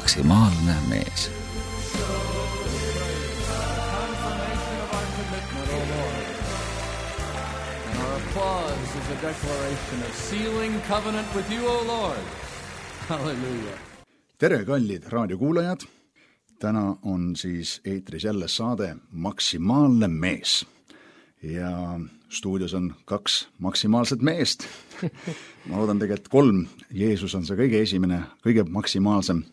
maksimaalne mees. Applause is a declaration of sealing covenant with you, O Lord. Hallelujah. Tere, kallid raadiokuulajad! Täna on siis eetris jälle saade Maksimaalne mees. Ja stuudios on 2 maksimaalset meest. Ma loodan tegelikult 3. Jeesus on see kõige esimene, kõige maksimaalsem.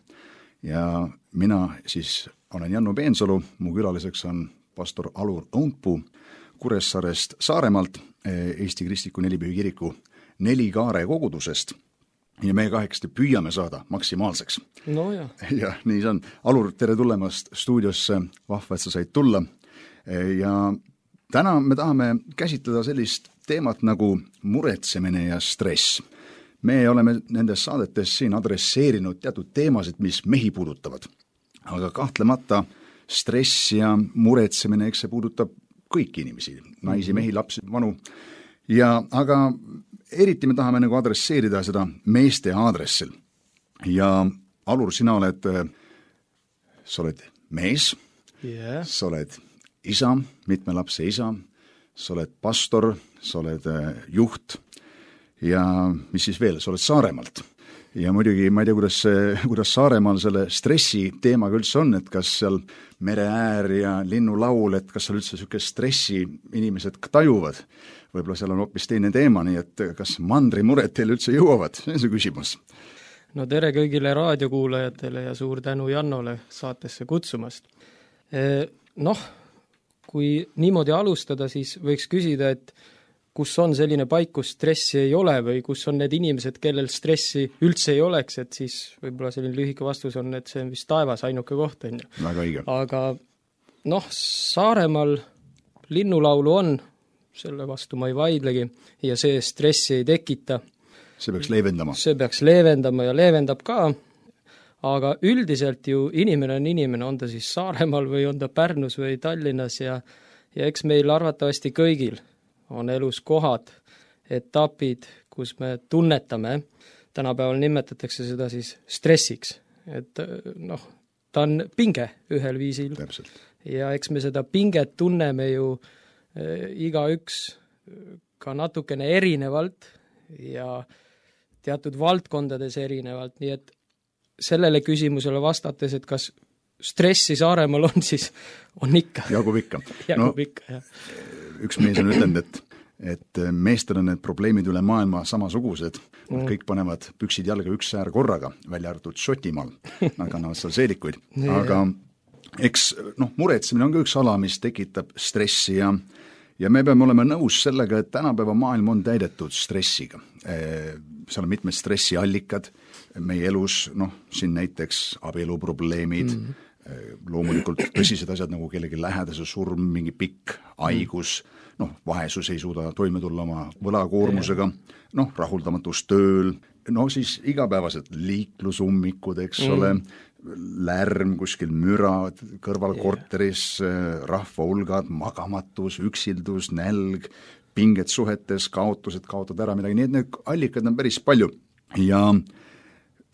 Ja mina siis olen Janno Peensalu. Mu külaliseks on pastor Alur Õunpuu Kuressaarest Saaremaalt, Eesti Kristliku Nelipühi kiriku Nelikaare kogudusest. Ja me 8 püüame saada maksimaalseks. No ja. Ja nii see on. Alur, tere tulemast stuudiosse. Vahva, et sa said tulla. Ja täna me tahame käsitleda sellist teemat nagu muretsemine ja stress. Me oleme nendes saadetes siin adresseerinud teatud teemasid, mis mehi puudutavad. Aga kahtlemata stress ja muretsemine, eks see puudutab kõiki inimesi, naisi, mehi, lapsi, vanu. Aga eriti me tahame nagu adresseerida seda meeste aadressil. Ja Alur, sa oled mees, sa oled isa, mitme lapse isa, sa oled pastor, sa oled juht ja mis siis veel, sa oled Saaremaalt. Ja muidugi ma ei tea, kuidas Saaremaal selle stressi teemaga üldse on, et kas seal mereäär ja linnulaul, et kas seal üldse selline stressi inimesed tajuvad. Võib-olla seal on hoopis teine teema, nii et kas mandrimured teil üldse jõuavad? See on see küsimus. No tere kõigile raadiokuulajatele ja suur tänu Jannole saatesse kutsumast. Kui niimoodi alustada, siis võiks küsida, et kus on selline paik, kus stressi ei ole või kus on need inimesed, kellel stressi üldse ei oleks, et siis võib-olla selline lühike vastus on, et see on vist taevas ainuke koht. Väga õige. Aga Saaremaal linnulaulu on, selle vastu ma ei vaidlegi, ja see stressi ei tekita. See peaks leevendama. See peaks leevendama ja leevendab ka, aga üldiselt ju inimene on ta siis Saaremaal või on ta Pärnus või Tallinnas ja eks meil arvatavasti kõigil on elus kohad, etapid, kus me tunnetame, tänapäeval nimetatakse seda siis stressiks, et ta on pinge ühel viisil. Täpselt. Ja eks me seda pinget tunneme ju igaüks ka natukene erinevalt ja teatud valdkondades erinevalt, nii et sellele küsimusele vastates, et kas stressi Saaremaal on, siis on ikka. Jagub ikka. Jagub ikka, jah. Üks mees on ütlenud, et meestel on need probleemid üle maailma samasugused. Kõik panevad püksid jalga üks äär korraga, välja arvatud Šotimaal. Nad kannavad seal seelikuid. Aga eks muretsemine on ka üks ala, mis tekitab stressi ja me peame olema nõus sellega, et tänapäeva maailm on täidetud stressiga. Seal on mitmed stressiallikad meie elus, siin näiteks abieluprobleemid, loomulikult tõsised asjad nagu kellegi lähedase surm, mingi pikk haigus, vaesus ei suuda toime tulla oma võlakoormusega, rahuldamatus tööl, siis igapäevased liiklusummikud, eks ole, lärm, kuskil müra, kõrvalkorteris, rahvahulgad, magamatus, üksildus, nälg, pinged suhetes, kaotused, kaotad ära midagi, nii et need allikad on päris palju. Ja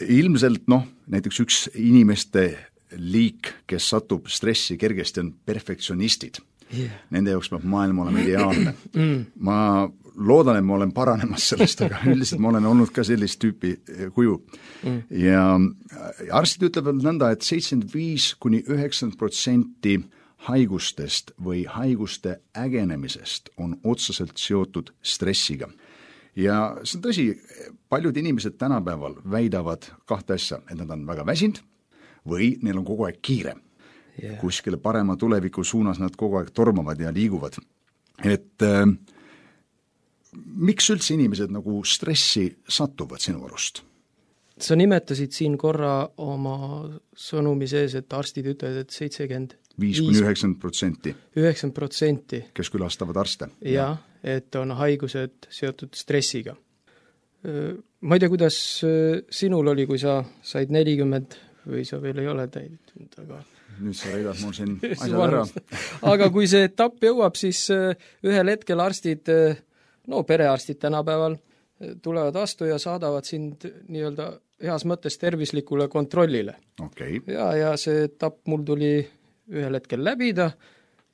ilmselt, näiteks üks inimeste liik, kes satub stressi kergesti, on perfektsionistid. Nende jaoks peab maailm olema ideaalne. Ma loodan, et ma olen paranemas sellest, aga üldiselt ma olen olnud ka sellist tüüpi kuju. Ja arstid ütlevad nõnda, et 75–90% haigustest või haiguste ägenemisest on otseselt seotud stressiga. Ja see on tõsi, paljud inimesed tänapäeval väidavad 2 asja, et nad on väga väsinud või neil on kogu aeg kiire. Kuskile parema tuleviku suunas nad kogu aeg tormavad ja liiguvad. Et miks üldse inimesed nagu stressi satuvad sinu arust? Sa nimetasid siin korra oma sõnumi sees, et arstid ütlevad, et 5–9%. 9%. Kes külastavad arste. Ja, et on haigused seotud stressiga. Ma ei tea, kuidas sinul oli, kui sa said 40 või sa veel ei ole täidetud, aga nüüd sa reidad mul siin asjad ära. Aga kui see etapp jõuab, siis ühel hetkel arstid, perearstid tänapäeval tulevad vastu ja saadavad sind nii-öelda heas mõttes tervislikule kontrollile. okei. Ja see etapp mul tuli ühel hetkel läbida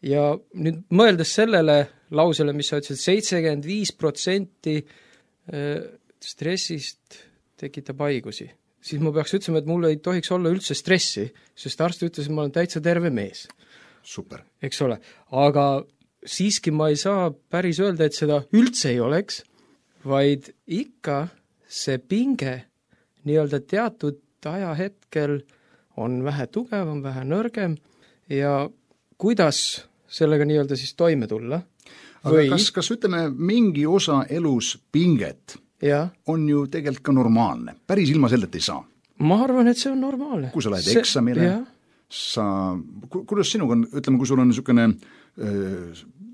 ja nüüd mõeldes sellele lausele, mis sa ütlesid, 75% stressist tekitab haigusi, siis ma peaks ütlema, et mul ei tohiks olla üldse stressi, sest arst ütles, et ma olen täitsa terve mees. Super. Eks ole, aga siiski ma ei saa päris öelda, et seda üldse ei oleks, vaid ikka see pinge nii-öelda teatud ajahetkel on vähe tugevam, vähe nõrgem ja kuidas sellega nii-öelda siis toime tulla. Aga kas ütleme, mingi osa elus pinget on ju tegelikult ka normaalne, päris ilma sellelt ei saa? Ma arvan, et see on normaalne. Kui sa lähed eksamile, kuidas sinuga on, ütleme, kui sul on niisugune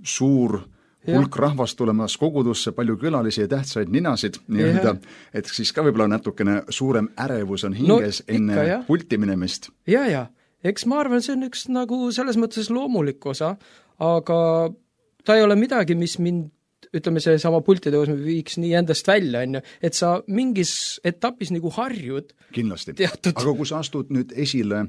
suur hulk rahvast tulemas kogudusse, palju külalisi ja tähtsaid ninasid, nii-öelda, et siis ka võib-olla natukene suurem ärevus on hinges enne pulti minemist. Ja, eks ma arvan, see on üks nagu selles mõttes loomulik osa, aga ta ei ole midagi, mis mind, ütleme, see sama pultitõus viiks nii endast välja, et sa mingis etapis nagu harjud. Kindlasti. Aga kui sa astud nüüd esile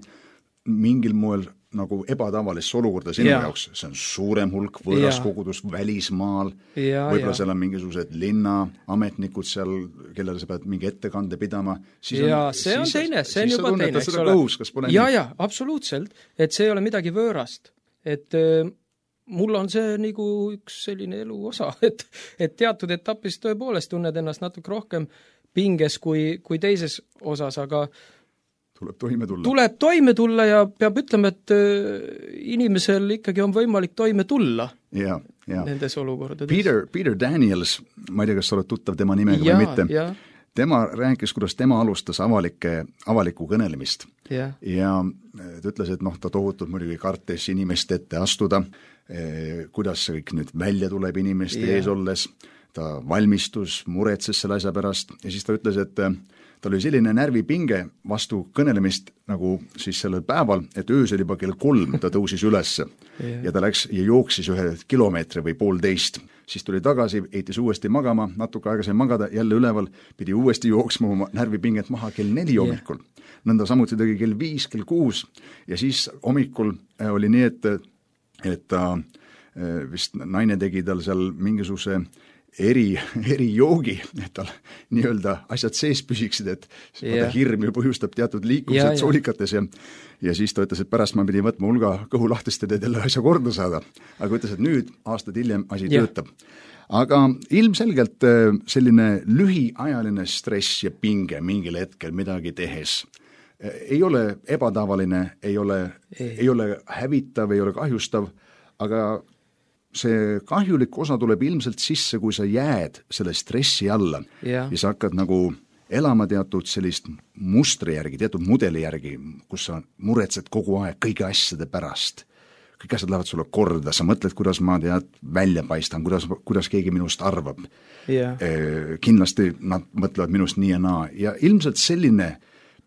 mingil moel nagu ebatavalisse olukorda sinu jaoks, see on suurem hulk võõras kogudus välismaal, võib-olla seal on mingisugused linnaametnikud seal, kellele sa pead mingi ettekande pidama. See on teine, see on juba teine, eks ole. Ja, absoluutselt, et see ei ole midagi võõrast, et mul on see nagu üks selline elu osa, et teatud etapis tõepoolest tunned ennast natuke rohkem pinges kui teises osas, aga tuleb toime tulla ja peab ütlema, et inimesel ikkagi on võimalik toime tulla nendes olukordades. Peter Daniels, ma ei tea, kas sa oled tuttav tema nimega või mitte, tema rääkis, kuidas tema alustas avalikku kõnelemist ja ta ütles, et ta tohutult muidugi kartes inimeste ette astuda, kuidas see kõik nüüd välja tuleb inimeste ees olles, ta valmistus, muretses selle asja pärast ja siis ta ütles, et tal oli selline närvipinge vastu kõnelemist nagu siis sellel päeval, et öösel juba kell 3 ta tõusis ülesse ja ta läks ja jooksis 1 kilomeetri või 1,5. Siis tuli tagasi, heitis uuesti magama, natuke aega sai magada, jälle üleval, pidi uuesti jooksma oma närvipinget maha kell 4 hommikul. Nõnda samuti tegi kell 5, kell 6 ja siis hommikul oli nii, et ta vist naine tegi tal seal mingisuguse erijoogi, et tal nii-öelda asjad sees püsiksid, et hirm ju põhjustab teatud liikumised soolikates ja siis ta ütles, et pärast ma pidi võtma hulga kõhulahtested, et jälle asja korda saada. Aga ütles, et nüüd aastad hiljem asi töötab. Aga ilmselgelt selline lühiajaline stress ja pinge mingil hetkel midagi tehes ei ole ebatavaline, ei ole hävitav, ei ole kahjustav, aga see kahjulik osa tuleb ilmselt sisse, kui sa jääd selle stressi alla ja sa hakkad nagu elama teatud sellist mustri järgi, teatud mudeli järgi, kus sa muretsed kogu aeg kõigi asjade pärast. Kõik asjad lähevad sulle korda, sa mõtled, kuidas ma välja paistan, kuidas keegi minust arvab. Kindlasti nad mõtlevad minust nii ja naa ja ilmselt selline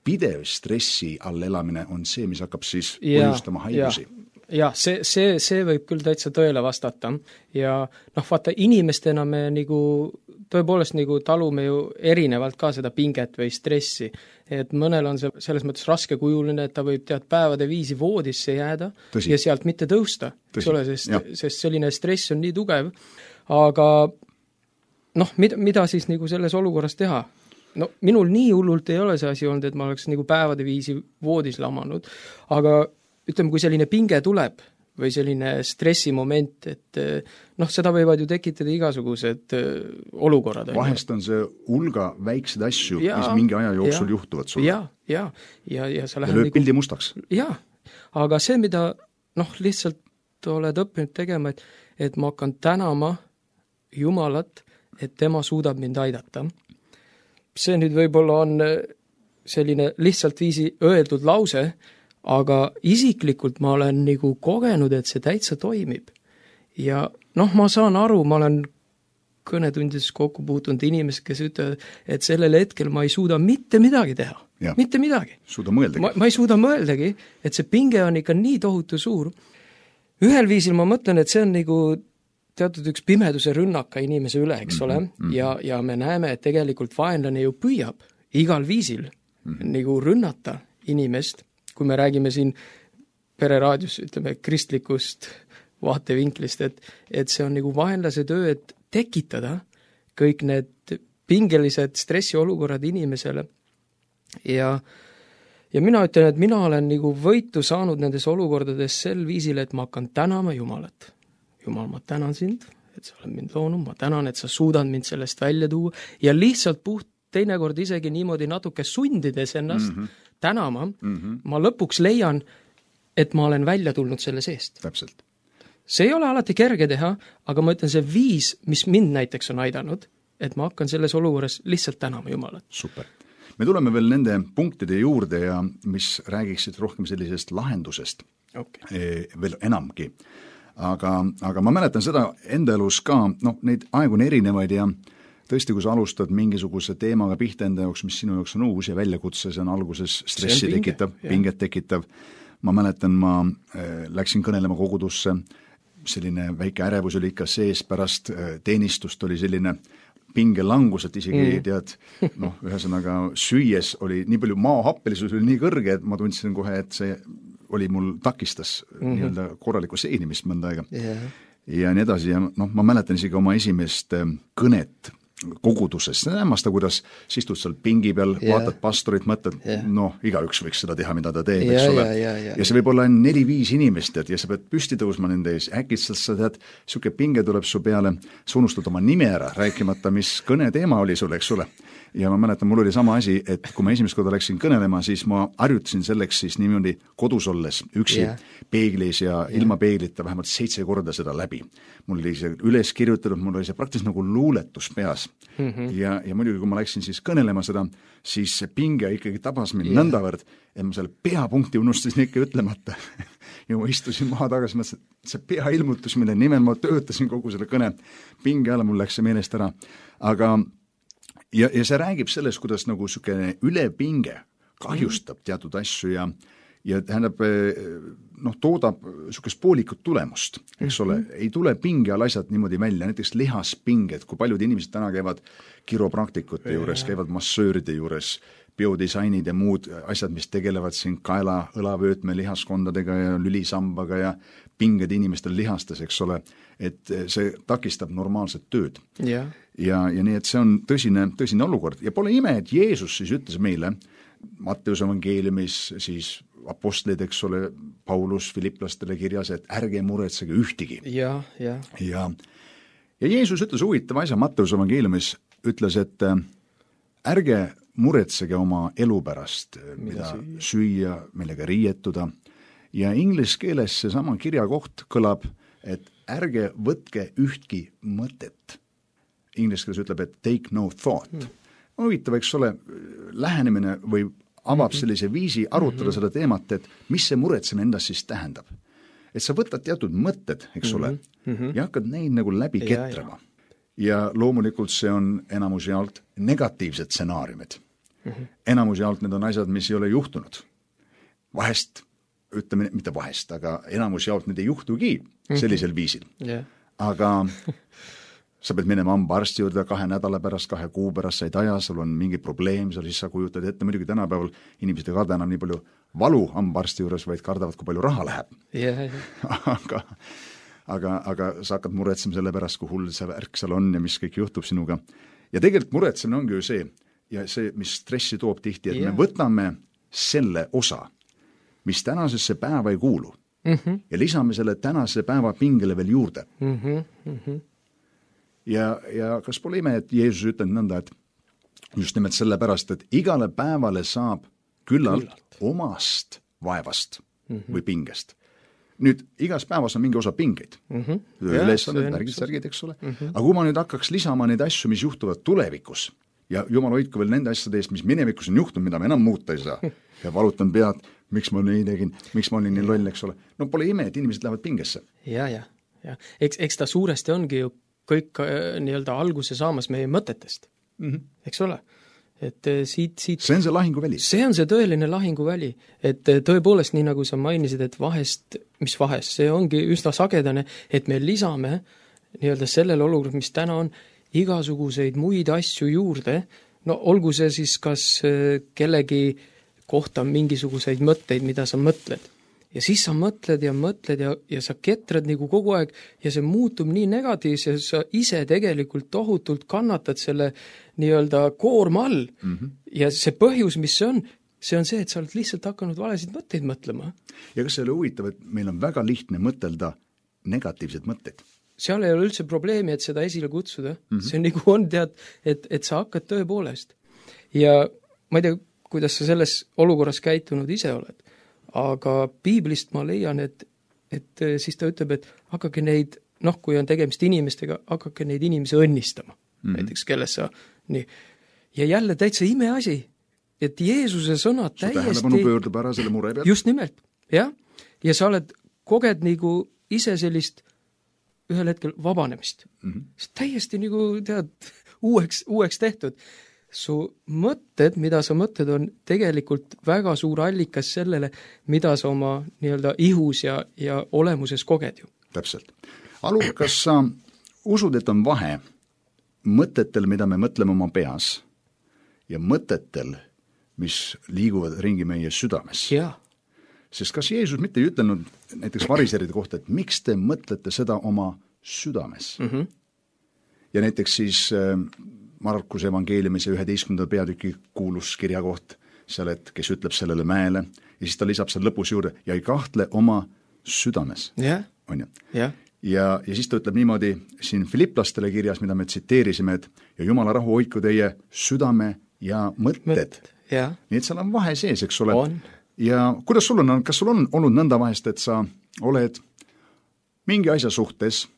pidev stressi all elamine on see, mis hakkab siis põhjustama haigusi. Ja, see võib küll täitsa tõele vastata ja vaata, inimestena me nagu tõepoolest nagu talume ju erinevalt ka seda pinget või stressi, et mõnel on see selles mõttes raskekujuline, et ta võib päevade viisi voodisse jääda ja sealt mitte tõusta, eks ole, sest selline stress on nii tugev, aga mida siis nagu selles olukorras teha? Minul nii hullult ei ole see asi olnud, et ma oleks nagu päevade viisi voodis lamanud, aga ütleme, kui selline pinge tuleb või selline stressimoment, et seda võivad ju tekitada igasugused olukorrad. Vahest on see hulga väikseid asju, mis mingi aja jooksul juhtuvad sulle. Ja sa lähed lööb pildi mustaks. Aga see, mida lihtsalt oled õppinud tegema, et ma hakkan tänama Jumalat, et tema suudab mind aidata. See nüüd võib-olla on selline lihtsalt viisi öeldud lause, aga isiklikult ma olen nagu kogenud, et see täitsa toimib. Ja ma saan aru, ma olen kõnetundides kokku puutunud inimesed, kes ütlevad, et sellel hetkel ma ei suuda mitte midagi teha. Mitte midagi. Suuda mõeldagi. Ma ei suuda mõeldagi, et see pinge on ikka nii tohutu suur. Ühel viisil ma mõtlen, et see on nagu teatud üks pimeduse rünnaka inimese üle, eks ole, ja me näeme, et tegelikult vaenlane ju püüab igal viisil nagu rünnata inimest, kui me räägime siin pereraadios, ütleme, kristlikust vaatevinklist, et see on nagu vaenlase töö, et tekitada kõik need pingelised stressiolukorrad inimesele. Ja mina ütlen, et mina olen nagu võitu saanud nendes olukordades sel viisil, et ma hakkan tänama Jumalat. Jumal, ma tänan sind, et sa oled mind loonud, ma tänan, et sa suudad mind sellest välja tuua ja lihtsalt teinekord isegi niimoodi natuke sundides ennast tänama, ma lõpuks leian, et ma olen välja tulnud selle seest. Täpselt. See ei ole alati kerge teha, aga ma ütlen, see viis, mis mind näiteks on aidanud, et ma hakkan selles olukorras lihtsalt tänama Jumalat. Super. Me tuleme veel nende punktide juurde ja mis räägiksid rohkem sellisest lahendusest veel enamgi. Aga ma mäletan seda enda elus ka, neid aegu on erinevaid ja tõesti, kui sa alustad mingisuguse teemaga pihta enda jaoks, mis sinu jaoks on uus ja väljakutse, see on alguses stressi tekitav, pinget tekitav. Ma mäletan, ma läksin kõnelema kogudusse, selline väike ärevus oli ikka sees, pärast teenistust oli selline pingelangus, et isegi tead, ühesõnaga süües oli nii palju maahappelisus oli nii kõrge, et ma tundsin kohe, et see oli mul takistas nii-öelda korralikku seenimist mõnda aega. Ja nii edasi ja ma mäletan isegi oma esimest kõnet koguduses, see hämmasta, kuidas sa istud seal pingi peal, vaatad pastorit, mõtled, igaüks võiks seda teha, mida ta teeb, eks ole. Ja see võib olla 4-5 inimest, ja sa pead püsti tõusma nende ees, äkitselt sa tead, siuke pinge tuleb su peale, sa unustad oma nime ära, rääkimata, mis kõne teema oli sul, eks ole. Ja ma mäletan, mul oli sama asi, et kui ma esimest korda läksin kõnelema, siis ma harjutasin selleks siis niimoodi kodus olles üksi peeglis ja ilma peeglita vähemalt 7 korda seda läbi. Mul oli see üles kirjutatud, mul oli see praktiliselt nagu luuletus peas. Ja muidugi, kui ma läksin siis kõnelema seda, siis see pinge ikkagi tabas mind nõndavõrd, et ma selle peapunkti unustasin ikka ütlemata. Ja ma istusin maha tagasi, mõtlesin, et see peailmutus, mille nimel ma töötasin kogu selle kõne pinge alla, mul läks see meelest ära. Aga ja see räägib sellest, kuidas nagu selline ülepinge kahjustab teatud asju ja tähendab, toodab sellisest poolikut tulemust, eks ole, ei tule pinge all asjad niimoodi välja, näiteks lihaspinged, kui paljud inimesed täna käivad kiropraktikute juures, käivad massööride juures, biodisainid ja muud asjad, mis tegelevad siin kaela, õlavöötme, lihaskondadega ja lülisambaga ja pinged inimestel lihastes, eks ole, et see takistab normaalset tööd. Ja nii, et see on tõsine olukord. Ja pole ime, et Jeesus siis ütles meile, Matteuse evangeeliumis siis apostlid, eks ole, Paulus Filiplastele kirjas, et ärge muretsege ühtigi. Ja Jeesus ütles huvitava asja Matteuse evangeeliumis, ütles, et ärge muretsege oma elu pärast, mida süüa, millega riietuda. Ja inglise keeles see sama kirjakoht kõlab, et ärge võtke ühtki mõtet. Inglise keeles ütleb, et take no thought. Huvitav, eks ole, lähenemine või avab sellise viisi arutada seda teemat, et mis see muretseme endast siis tähendab. Et sa võtad teatud mõtted, eks ole, ja hakkad neid nagu läbi ketrama. Ja loomulikult see on enamus jaolt negatiivsed stsenaariumid. Enamus jaolt need on asjad, mis ei ole juhtunud. Vahest, ütleme, mitte vahest, aga enamus jaolt need ei juhtugi sellisel viisil. Aga sa pead minema hambaarsti juurde 2 nädala pärast, 2 kuu pärast, sa ei taja, sul on mingi probleem, siis sa kujutad ette, muidugi tänapäeval inimesed ei karda enam nii palju valu hambaarsti juures, vaid kardavad, kui palju raha läheb. Aga sa hakkad muretsema selle pärast, kui hull see värk seal on ja mis kõik juhtub sinuga. Ja tegelikult muretsemine ongi ju see, ja see, mis stressi toob tihti, et me võtame selle osa, mis tänasesse päeva ei kuulu ja lisame selle tänase päeva pingele veel juurde. Ja kas pole ime, et Jeesus ütleb nõnda, et just nimelt selle pärast, et igale päevale saab küllalt omast vaevast või pingest. Nüüd, igas päevas on mingi osa pingeid. Ülesanded, värgid, eks ole. Aga kui ma nüüd hakkaks lisama neid asju, mis juhtuvad tulevikus, ja Jumal hoidku veel nende asjade eest, mis minevikus on juhtunud, mida me enam muuta ei saa, ja valutan pead, miks ma nii tegin, miks ma olin nii loll, eks ole. No pole ime, et inimesed lähevad pingesse. Ja. Eks ta suuresti ongi ju kõik nii-öelda alguse saamas meie mõtetest, eks ole. Et siit... See on see lahinguväli. See on see tõeline lahinguväli. Et tõepoolest, nii nagu sa mainisid, et vahest, see ongi üsna sagedane, et me lisame nii-öelda sellele olukorda, mis täna on, igasuguseid muid asju juurde, no olgu see siis kas kellegi kohta mingisuguseid mõtteid, mida sa mõtled. Ja siis sa mõtled ja sa ketrad nagu kogu aeg ja see muutub nii negatiivse, sa ise tegelikult tohutult kannatad selle nii-öelda koorma all. Ja see põhjus, mis see on see, et sa oled lihtsalt hakanud valesid mõtteid mõtlema. Ja kas see oli huvitav, et meil on väga lihtne mõtelda negatiivsed mõtteid? Seal ei ole üldse probleemi, et seda esile kutsuda. See nagu on, tead, et sa hakkad tõepoolest. Ja ma ei tea, kuidas sa selles olukorras käitunud ise oled. Aga piiblist ma leian, et siis ta ütleb, et hakake neid, kui on tegemist inimestega, hakake neid inimesi õnnistama. Näiteks, kelles sa nii. Ja jälle täitsa imeasi, et Jeesuse sõnad täiesti... Su tähelepanu pöördub ära selle mure pealt. Just nimelt, jah. Ja sa koged nagu ise sellist ühel hetkel vabanemist. See täiesti nagu, tead, uueks tehtud. Su mõtted, mida sa mõtled, on tegelikult väga suur allikas sellele, mida sa oma nii-öelda ihus ja olemuses koged ju. Täpselt. Alu, kas sa usud, et on vahe mõtetel, mida me mõtleme oma peas ja mõtetel, mis liiguvad ringi meie südames? Jaa. Sest kas Jeesus mitte ei ütelnud näiteks variseride kohta, et miks te mõtlete seda oma südames? Ja näiteks siis... Markuse evangeeliumise 11. peatüki kuulus kirjakoht seal, et kes ütleb sellele mäele ja siis ta lisab seal lõpus juurde ja ei kahtle oma südames. Yeah. On ju? Yeah. Ja siis ta ütleb niimoodi siin Filiplastele kirjas, mida me tsiteerisime, et ja Jumala rahu hoidku teie südame ja mõtted. Yeah. Nii et seal on vahe sees, eks ole. On. Ja kuidas sul on, kas sul on olnud nõnda vahest, et sa oled mingi asja suhtes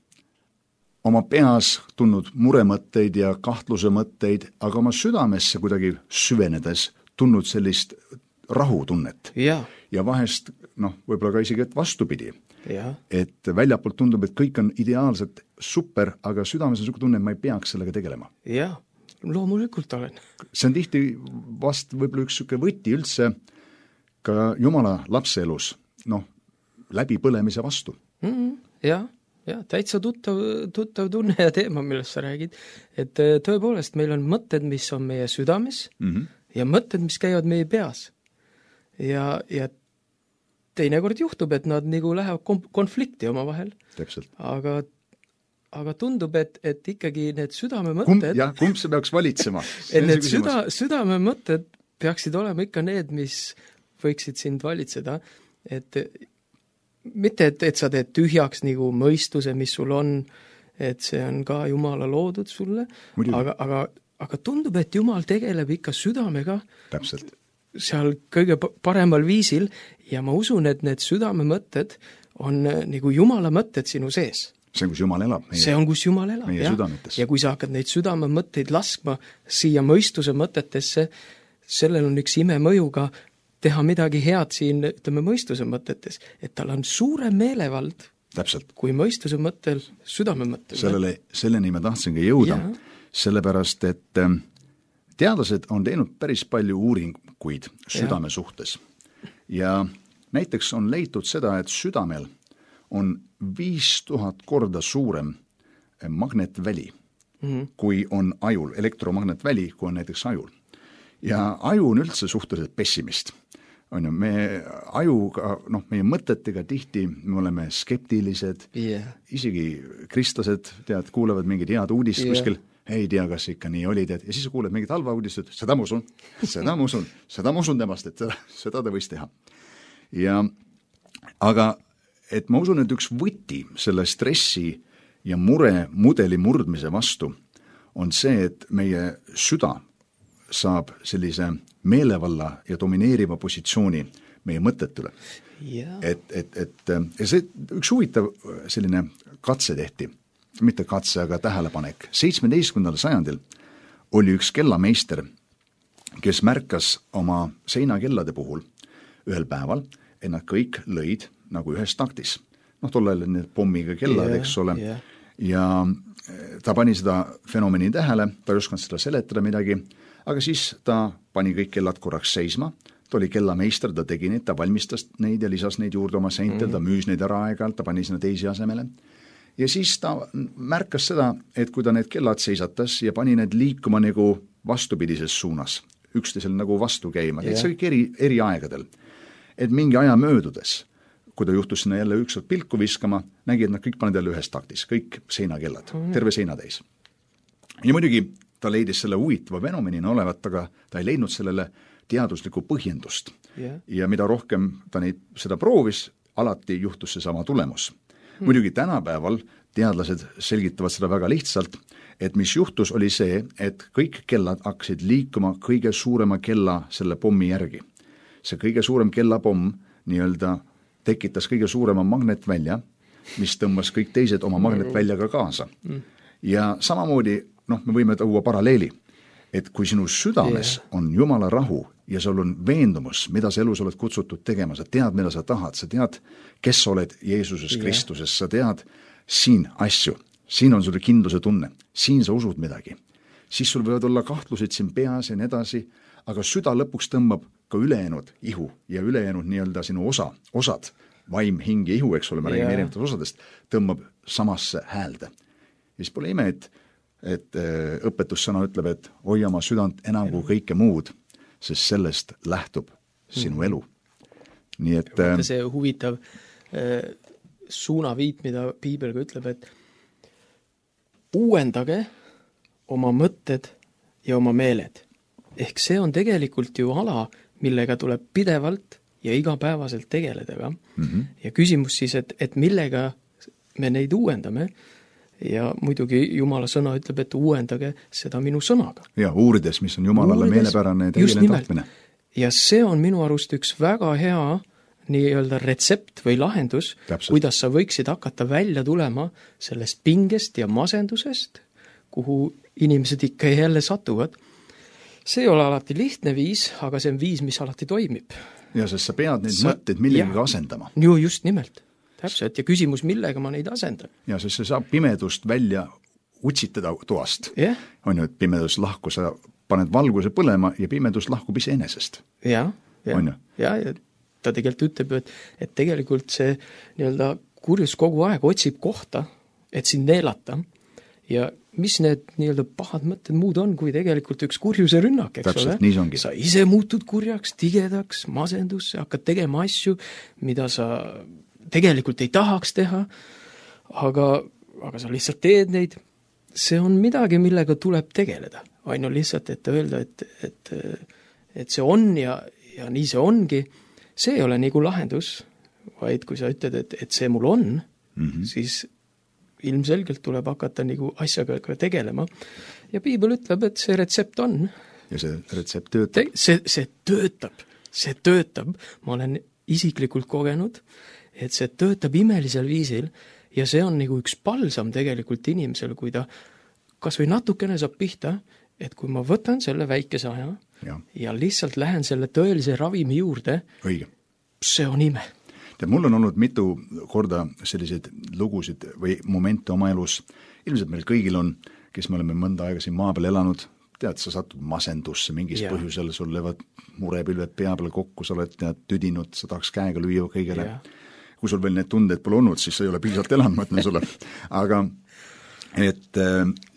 oma peas tulnud muremõtteid ja kahtluse mõtteid, aga oma südamesse kuidagi süvenedes tulnud sellist rahutunnet. Ja, ja vahest, võib-olla ka isegi vastupidi. Ja. Et väljapoolt tundub, et kõik on ideaalselt super, aga südames on tunne, et ma ei peaks sellega tegelema. Ja, loomulikult olen. See on tihti vast võib-olla üks võti üldse ka Jumala lapse elus, läbi põlemise vastu. Ja, täitsa tuttav tunne ja teema, millest sa räägid, et tõepoolest meil on mõtted, mis on meie südames ja mõtted, mis käivad meie peas. Ja teinekord juhtub, et nad nagu lähevad konflikti oma vahel. Täpselt. Aga tundub, et ikkagi need südamemõtted... Kumb see peaks valitsema? Et need südamemõtted peaksid olema ikka need, mis võiksid sind valitseda, et mitte, et sa teed tühjaks nagu mõistuse, mis sul on, et see on ka Jumala loodud sulle, aga tundub, et Jumal tegeleb ikka südamega. Täpselt. Seal kõige paremal viisil ja ma usun, et need südamemõtted on nagu Jumala mõtted sinu sees. See on, kus Jumal elab. See on, kus Jumal elab, meie südametes. Ja kui sa hakkad neid südamemõtteid laskma siia mõistuse mõtetesse, sellel on üks imemõju ka teha midagi head siin, ütleme, mõistuse mõtetes, et tal on suurem meelevald Täpselt. Kui mõistuse mõttel, südame mõttel. Selleni ma tahtsingi jõuda, sellepärast, et teadlased on teinud päris palju uuringuid südame suhtes. Ja näiteks on leitud seda, et südamel on 5000 korda suurem magnetväli, kui on ajul, elektromagnetväli, kui on näiteks ajul. Ja aju on üldse suhteliselt pessimist. On ju, me ajuga, meie mõtetega tihti me oleme skeptilised, isegi kristlased, kuulevad mingid head uudist kuskil, ei tea, kas ikka nii oli, ja siis kuuled mingid halva uudist, et seda ma usun temast, et seda ta võis teha. Aga et ma usun, et üks võti selle stressi ja mure mudeli murdmise vastu on see, et meie süda saab sellise meelevalla ja domineeriva positsiooni meie mõtted üle. Et see üks huvitav selline katse tehti, mitte katse, aga tähelepanek. 17. sajandil oli üks kellameister, kes märkas oma seinakellade puhul ühel päeval, et nad kõik lõid nagu ühes taktis. Tollel need pommiga kellad, eks ole. Ja ta pani seda fenomeni tähele, ta ei osanud seda seletada midagi, aga siis ta pani kõik kellad korraks seisma, ta oli kellameister, ta tegi neid, ta valmistas neid ja lisas neid juurde oma seintel, ta müüs neid ära aeg-ajalt, ta pani sinna teisi asemele. Ja siis ta märkas seda, et kui ta need kellad seisatas ja pani need liikuma nagu vastupidises suunas, üksteisel nagu vastu käima, see kõik eri aegadel. Et mingi aja möödudes, kui ta juhtus sinna jälle ükskord pilku viskama, nägi, et nad kõik paned jälle ühes taktis, kõik seinakellad, terve seinatäis. Ja muidugi ta leidis selle huvitava fenomenina olevat, aga ta ei leidnud sellele teaduslikku põhjendust. Ja mida rohkem ta seda proovis, alati juhtus see sama tulemus. Muidugi tänapäeval teadlased selgitavad seda väga lihtsalt, et mis juhtus oli see, et kõik kellad hakkasid liikuma kõige suurema kella selle pommi järgi. See kõige suurem kellapomm nii-öelda tekitas kõige suurema magnetvälja, mis tõmbas kõik teised oma magnetväljaga kaasa. Ja samamoodi, me võime tuua paralleeli, et kui sinu südames on Jumala rahu ja sul on veendumus, mida sa elus oled kutsutud tegema, sa tead, mida sa tahad, sa tead, kes sa oled Jeesuses Kristuses, sa tead siin asju, siin on sul kindluse tunne, siin sa usud midagi, siis sul võivad olla kahtlused siin peas ja nii edasi, aga süda lõpuks tõmbab ka ülejäänud ihu ja ülejäänud nii-öelda sinu osad, vaim, hing ja ihu, eks ole, me räägime erinevatest osadest, tõmbab samasse häälde. Ja siis pole ime, et õpetussõna ütleb, et hoia oma südant enam kui kõike muud, sest sellest lähtub sinu elu. Nii et see huvitav suunaviit, mida piibel ka ütleb, et uuendage oma mõtted ja oma meeled. Ehk see on tegelikult ju ala, millega tuleb pidevalt ja igapäevaselt tegeleda ka. Ja küsimus siis, et millega me neid uuendame, ja muidugi Jumala sõna ütleb, et uuendage seda minu sõnaga. Ja uurides, mis on Jumalale meelepärane ja tegeline tahtmine. Ja see on minu arust üks väga hea nii-öelda retsept või lahendus, kuidas sa võiksid hakata välja tulema sellest pingest ja masendusest, kuhu inimesed ikka jälle satuvad. See ei ole alati lihtne viis, aga see on viis, mis alati toimib. Ja sest sa pead neid mõtteid millegagi asendama. Ju just nimelt. Täpselt, ja küsimus, millega ma neid asendan. Ja sest see saab pimedust välja utsitada toast. On ju, et pimedus lahku, sa paned valguse põlema ja pimedus lahkub iseenesest. Ja ta tegelikult ütleb, et tegelikult see nii-öelda kurjus kogu aeg otsib kohta, et sind neelata. Ja mis need nii-öelda pahad mõtted muud on, kui tegelikult üks kurjuse rünnak, eks täpselt, ole? Nii see ongi. Sa ise muutud kurjaks, tigedaks, masendusse, hakkad tegema asju, mida sa tegelikult ei tahaks teha, aga sa lihtsalt teed neid. See on midagi, millega tuleb tegeleda. Ainu lihtsalt, et öelda, et see on ja nii see ongi. See ei ole nagu lahendus, vaid kui sa ütled, et see mul on, siis ilmselgelt tuleb hakata nagu asjaga tegelema. Ja piibel ütleb, et see retsept on. Ja see retsept töötab. See töötab. Ma olen isiklikult kogenud, et see töötab imelisel viisil ja see on nagu üks palsam tegelikult inimesel, kui ta kas või natukene saab pihta, et kui ma võtan selle väikese aja ja lihtsalt lähen selle tõelise ravimi juurde, see on ime. Mul on olnud mitu korda selliseid lugusid või momente oma elus, ilmselt meil kõigil on, kes me oleme mõnda aega siin maa peal elanud, tead, sa satud masendusse mingis põhjusel, sul levad murepilved pea peal kokku, sa oled tüdinud, sa tahaks käega lüüa kõigele. Kui sul veel need tunded pole olnud, siis sa ei ole piisavalt elanud, ma ütlen sulle. Aga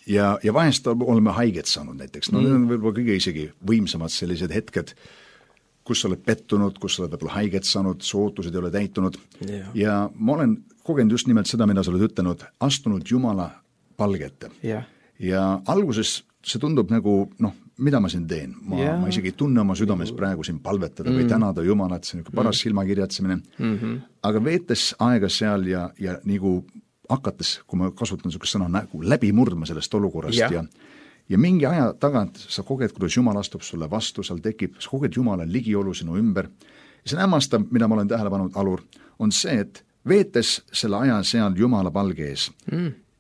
ja vahest oleme haiget saanud näiteks. Need on võib-olla kõige isegi võimsamad sellised hetked, kus sa oled pettunud, kus sa oled võib-olla haiget saanud, sootused ei ole täitunud. Ja ma olen kogenud just nimelt seda, mida sa oled ütelnud, astunud Jumala palgete. Ja alguses see tundub nagu, mida ma siin teen? Ma isegi ei tunne oma südames praegu siin palvetada või tänada Jumalat, see on paras silmakirjatsemine. Aga veetes aega seal ja nagu hakates, kui ma kasutan niisugust sõna, nagu läbi murdma sellest olukorrast ja mingi aja tagant sa koged, kuidas Jumal astub sulle vastu, seal tekib, sa koged Jumala ligiolu sinu ümber. Ja see hämmastav, mida ma olen tähele pannud, Alur, on see, et veetes selle aja seal Jumala palge ees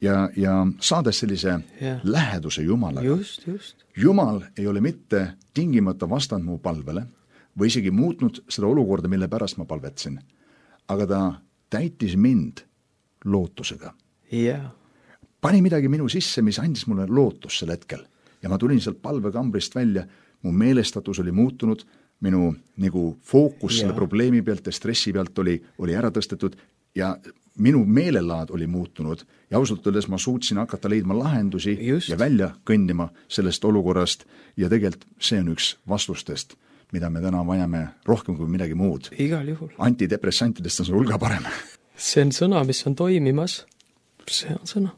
ja saades sellise läheduse Jumalaga. Jumal ei ole mitte tingimata vastanud mu palvele või isegi muutnud seda olukorda, mille pärast ma palvetsin, aga ta täitis mind lootusega. Pani midagi minu sisse, mis andis mulle lootus sel hetkel. Ja ma tulin sealt palvekambrist välja, mu meelestatus oli muutunud, minu nagu fookus selle probleemi pealt ja stressi pealt oli ära tõstetud ja minu meelelaad oli muutunud ja ausalt öeldes ma suutsin hakata leidma lahendusi ja välja kõndima sellest olukorrast ja tegelikult see on üks vastustest, mida me täna vajame rohkem kui midagi muud. Igal juhul. Antidepressantidest on see hulga parem. See on sõna, mis on toimimas. See on sõna.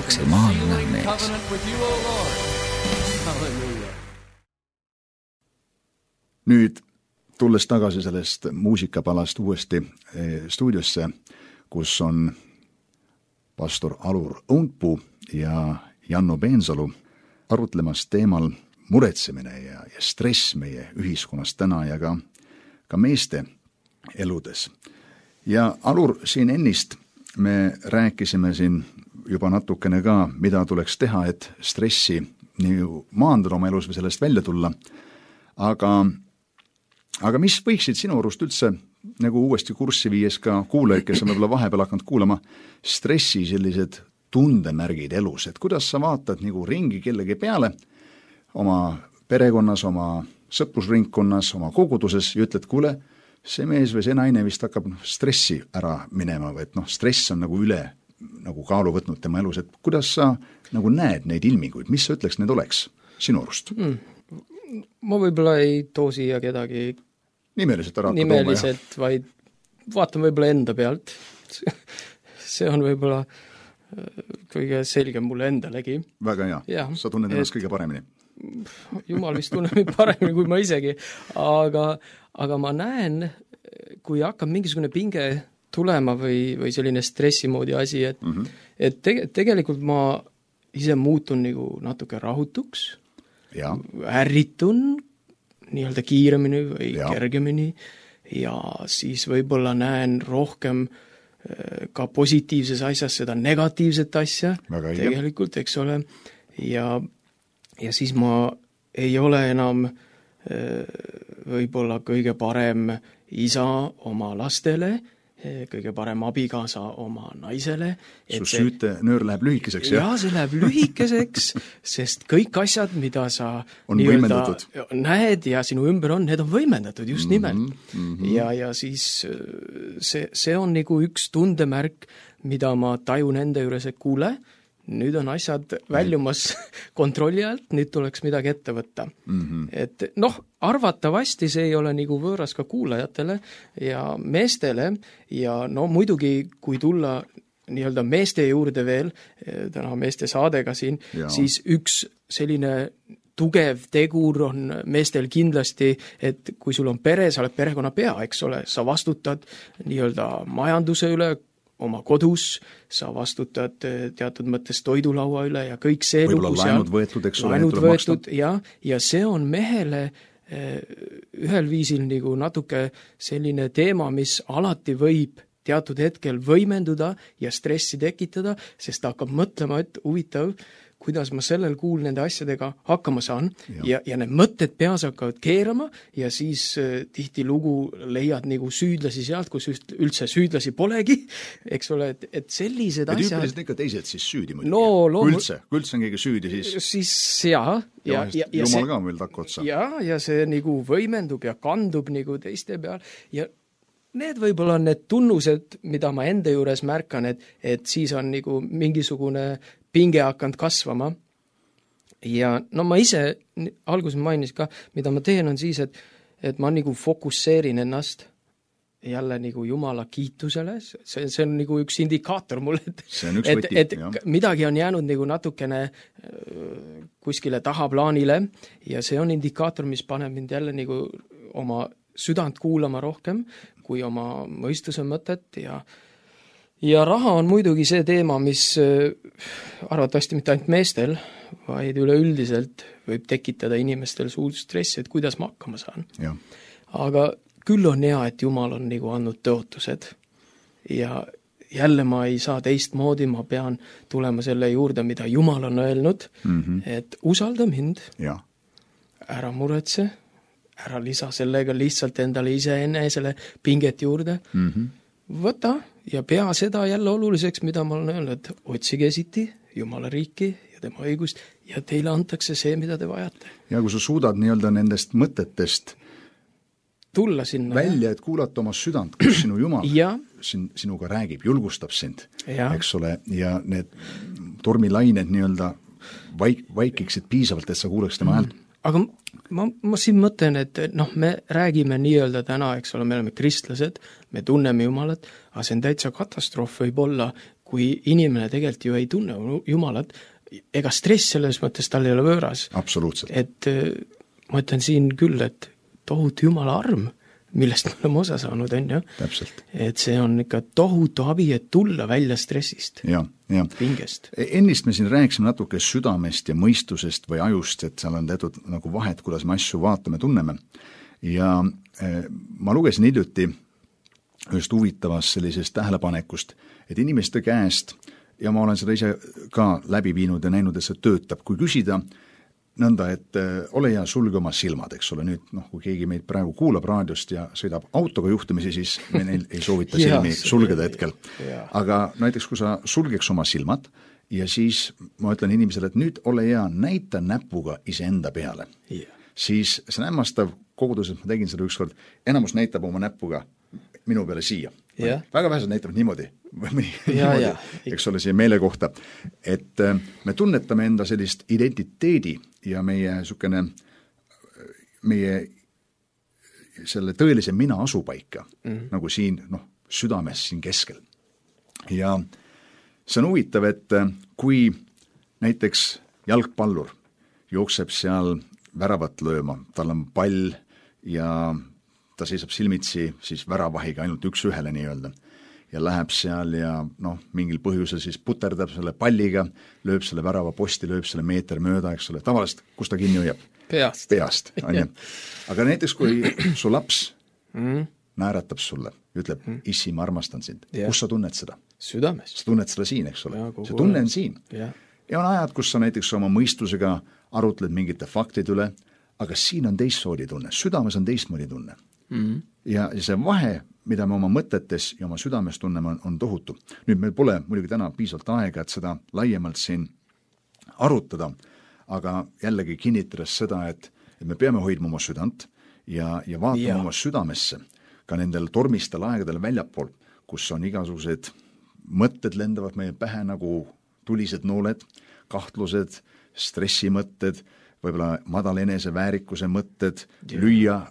maksimaalne mees. Nüüd tulles tagasi sellest muusikapalast uuesti stuudiosse, kus on pastor Alur Untpuu ja Janno Peensalu, arutlemas teemal muretsemine ja stress meie ühiskonnas täna ja ka meeste eludes. Ja Alur, siin ennist me rääkisime siin juba natukene ka, mida tuleks teha, et stressi nii maandada oma elus või sellest välja tulla. Aga mis võiksid sinu arust üldse nagu uuesti kurssi viies ka kuulajaid, kes on võib-olla vahepeal hakanud kuulama, stressi sellised tundemärgid elus, et kuidas sa vaatad nagu ringi kellegi peale oma perekonnas, oma sõprusringkonnas, oma koguduses ja ütled, kuule, see mees või see naine vist hakkab stressi ära minema või et stress on nagu üle nagu kaalu võtnud tema elus, et kuidas sa nagu näed neid ilminguid, mis sa ütleks need oleks sinu arust? Ma võib-olla ei too siia kedagi nimeliselt, vaid vaatan võib-olla enda pealt. See on võib-olla kõige selgem mulle endalegi. Väga hea, sa tunned ennast kõige paremini. Jumal vist tunneb paremini kui ma isegi, aga ma näen, kui hakkab mingisugune pinge tulema või selline stressimoodi asi, et tegelikult ma ise muutun nagu natuke rahutuks, ärritun nii-öelda kiiremini või kergemini ja siis võib-olla näen rohkem ka positiivses asjas seda negatiivset asja tegelikult, eks ole, ja siis ma ei ole enam võib-olla kõige parem isa oma lastele, kõige parem abikaasa oma naisele. Su süütenöör läheb lühikeseks, jah? Jaa, see läheb lühikeseks, sest kõik asjad, mida sa näed ja sinu ümber on, need on võimendatud just nimelt. Ja siis see on nagu üks tundemärk, mida ma tajun enda juures, et kuule, nüüd on asjad väljumas kontrolli alt, nüüd tuleks midagi ette võtta. Et arvatavasti see ei ole nagu võõras ka kuulajatele ja meestele ja muidugi, kui tulla nii-öelda meeste juurde veel, täna meeste saadega siin, siis üks selline tugev tegur on meestel kindlasti, et kui sul on pere, sa oled perekonna pea, eks ole, sa vastutad nii-öelda majanduse üle, oma kodus, sa vastutad teatud mõttes toidulaua üle ja kõik see võib-olla laenud võetud, eks ole, laenud võetud, ja see on mehele ühel viisil nagu natuke selline teema, mis alati võib teatud hetkel võimenduda ja stressi tekitada, sest ta hakkab mõtlema, et huvitav, kuidas ma sellel kuul nende asjadega hakkama saan ja need mõtted peas hakkavad keerama ja siis tihti lugu leiad nagu süüdlasi sealt, kus üldse süüdlasi polegi, eks ole, et sellised asjad... Tüüpiliselt ikka teised siis süüdi muidugi. Kui üldse on keegi süüdi, siis Jumal ka meil takku otsa. Ja see nagu võimendub ja kandub nagu teiste peal ja need võib-olla on need tunnused, mida ma enda juures märkan, et siis on nagu mingisugune pinge hakanud kasvama ja ma ise alguses mainisin ka, mida ma teen on siis, et ma nagu fokusseerin ennast jälle nagu Jumala kiitusele, see on nagu üks indikaator mulle, et midagi on jäänud nagu natukene kuskile tahaplaanile ja see on indikaator, mis paneb mind jälle nagu oma südant kuulama rohkem kui oma mõistuse mõtet ja raha on muidugi see teema, mis arvatavasti mitte ainult meestel, vaid üleüldiselt võib tekitada inimestel suurt stressi, et kuidas ma hakkama saan. Aga küll on hea, et Jumal on nagu andnud tõotused ja jälle ma ei saa teistmoodi, ma pean tulema selle juurde, mida Jumal on öelnud, et usalda mind, ära muretse, ära lisa sellega lihtsalt endale iseenesele pinget juurde, võta ja pea seda jälle oluliseks, mida ma olen öelnud, et otsige esiti Jumala riiki ja tema õigust ja teile antakse see, mida te vajate. Ja kui sa suudad nii-öelda nendest mõtetest tulla sinna välja, et kuulata oma südant, kus sinu Jumal sinuga räägib, julgustab sind, eks ole, ja need tormilained nii-öelda vaikiksid piisavalt, et sa kuuleks tema häält. Aga ma siin mõtlen, et me räägime nii-öelda täna, eks ole, me oleme kristlased, me tunneme Jumalat, aga see on täitsa katastroof võib olla, kui inimene tegelikult ju ei tunne Jumalat, ega stress selles mõttes tal ei ole võõras. Absoluutselt. Et ma ütlen siin küll, et tohutu Jumala arm millest me oleme osa saanud, on ju. Täpselt. Et see on ikka tohutu abi, et tulla välja stressist, pingest. Ennist me siin rääkisime natuke südamest ja mõistusest või ajust, et seal on teatud nagu vahet, kuidas me asju vaatame, tunneme. Ja ma lugesin hiljuti ühest huvitavast sellisest tähelepanekust, et inimeste käest, ja ma olen seda ise ka läbi viinud ja näinud, et see töötab, kui küsida nõnda, et ole hea, sulge oma silmad, eks ole, nüüd kui keegi meid praegu kuulab raadiost ja sõidab autoga juhtimisi, siis me neil ei soovita silmi sulgeda hetkel. Aga näiteks, kui sa sulgeks oma silmad ja siis ma ütlen inimesele, et nüüd ole hea, näita näpuga iseenda peale, siis see on hämmastav kogudus, et ma tegin seda ükskord, enamus näitab oma näpuga minu peale siia. Väga vähesed näitavad niimoodi, eks ole, siia meele kohta, et me tunnetame enda sellist identiteedi ja meie selle tõelise mina asupaika, nagu siin südames siin keskel. Ja see on huvitav, et kui näiteks jalgpallur jookseb seal väravat lööma, tal on pall ja ta seisab silmitsi siis väravahiga ainult üks-ühele nii-öelda ja läheb seal ja mingil põhjusel siis puterdab selle palliga, lööb selle värava posti, lööb selle meeter mööda, eks ole, tavaliselt, kus ta kinni hoiab? Peast, on ju. Aga näiteks, kui su laps naeratab sulle, ütleb, issi, ma armastan sind, kus sa tunned seda? Südames. Sa tunned seda siin, eks ole. See tunne on siin. Ja on ajad, kus sa näiteks oma mõistusega arutled mingite faktide üle, aga siin on teistmoodi tunne, südames on teistmoodi tunne. Ja see vahe, mida me oma mõtetes ja oma südames tunneme, on tohutu. Nüüd meil pole muidugi täna piisavalt aega, et seda laiemalt siin arutada, aga jällegi kinnitades seda, et me peame hoidma oma südant ja vaatama oma südamesse ka nendel tormistel aegadel väljapool, kus on igasugused mõtted lendavad meie pähe nagu tulised nooled, kahtlused, stressimõtted, võib-olla madal eneseväärikuse mõtted, lüüa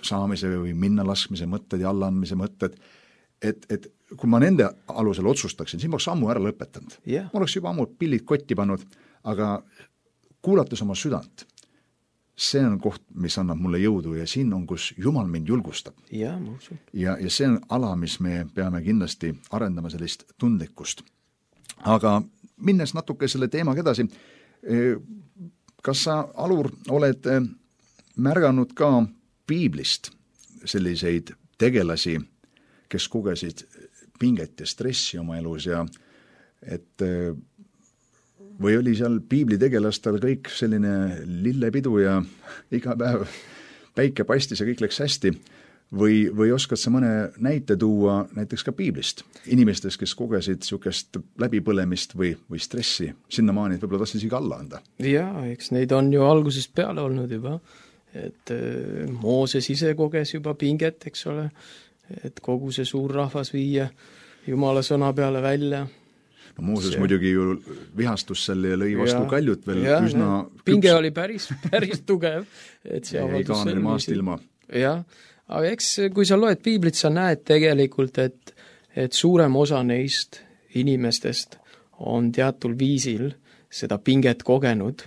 saamise või minna laskmise mõtted ja allaandmise mõtted, et kui ma nende alusel otsustaksin, siis ma oleks ammu ära lõpetanud. Ma oleks juba ammu pillid kotti pannud, aga kuulates oma südant, see on koht, mis annab mulle jõudu ja siin on, kus Jumal mind julgustab. Ja see on ala, mis me peame kindlasti arendama sellist tundlikkust. Aga minnes natuke selle teemaga edasi, kas sa, Alur, oled märganud ka piiblist selliseid tegelasi, kes kogesid pinget ja stressi oma elus ja et või oli seal piiblitegelastel kõik selline lillepidu ja iga päev päike paistis ja kõik läks hästi või oskad sa mõne näite tuua näiteks ka piiblist inimestest, kes kogesid niisugust läbipõlemist või stressi sinnamaani, et võib-olla tahtsid isegi alla anda? Jaa, eks neid on ju algusest peale olnud juba. Et Mooses ise koges juba pinget, eks ole, et kogu see suur rahvas viia Jumala sõna peale välja. No Mooses muidugi ju vihastus selle ja lõi vastu kaljut veel üsna pinge oli päris tugev. Et see ei kaanel maast ilma. Jah, aga eks kui sa loed piiblit, sa näed tegelikult, et suurem osa neist inimestest on teatul viisil seda pinget kogenud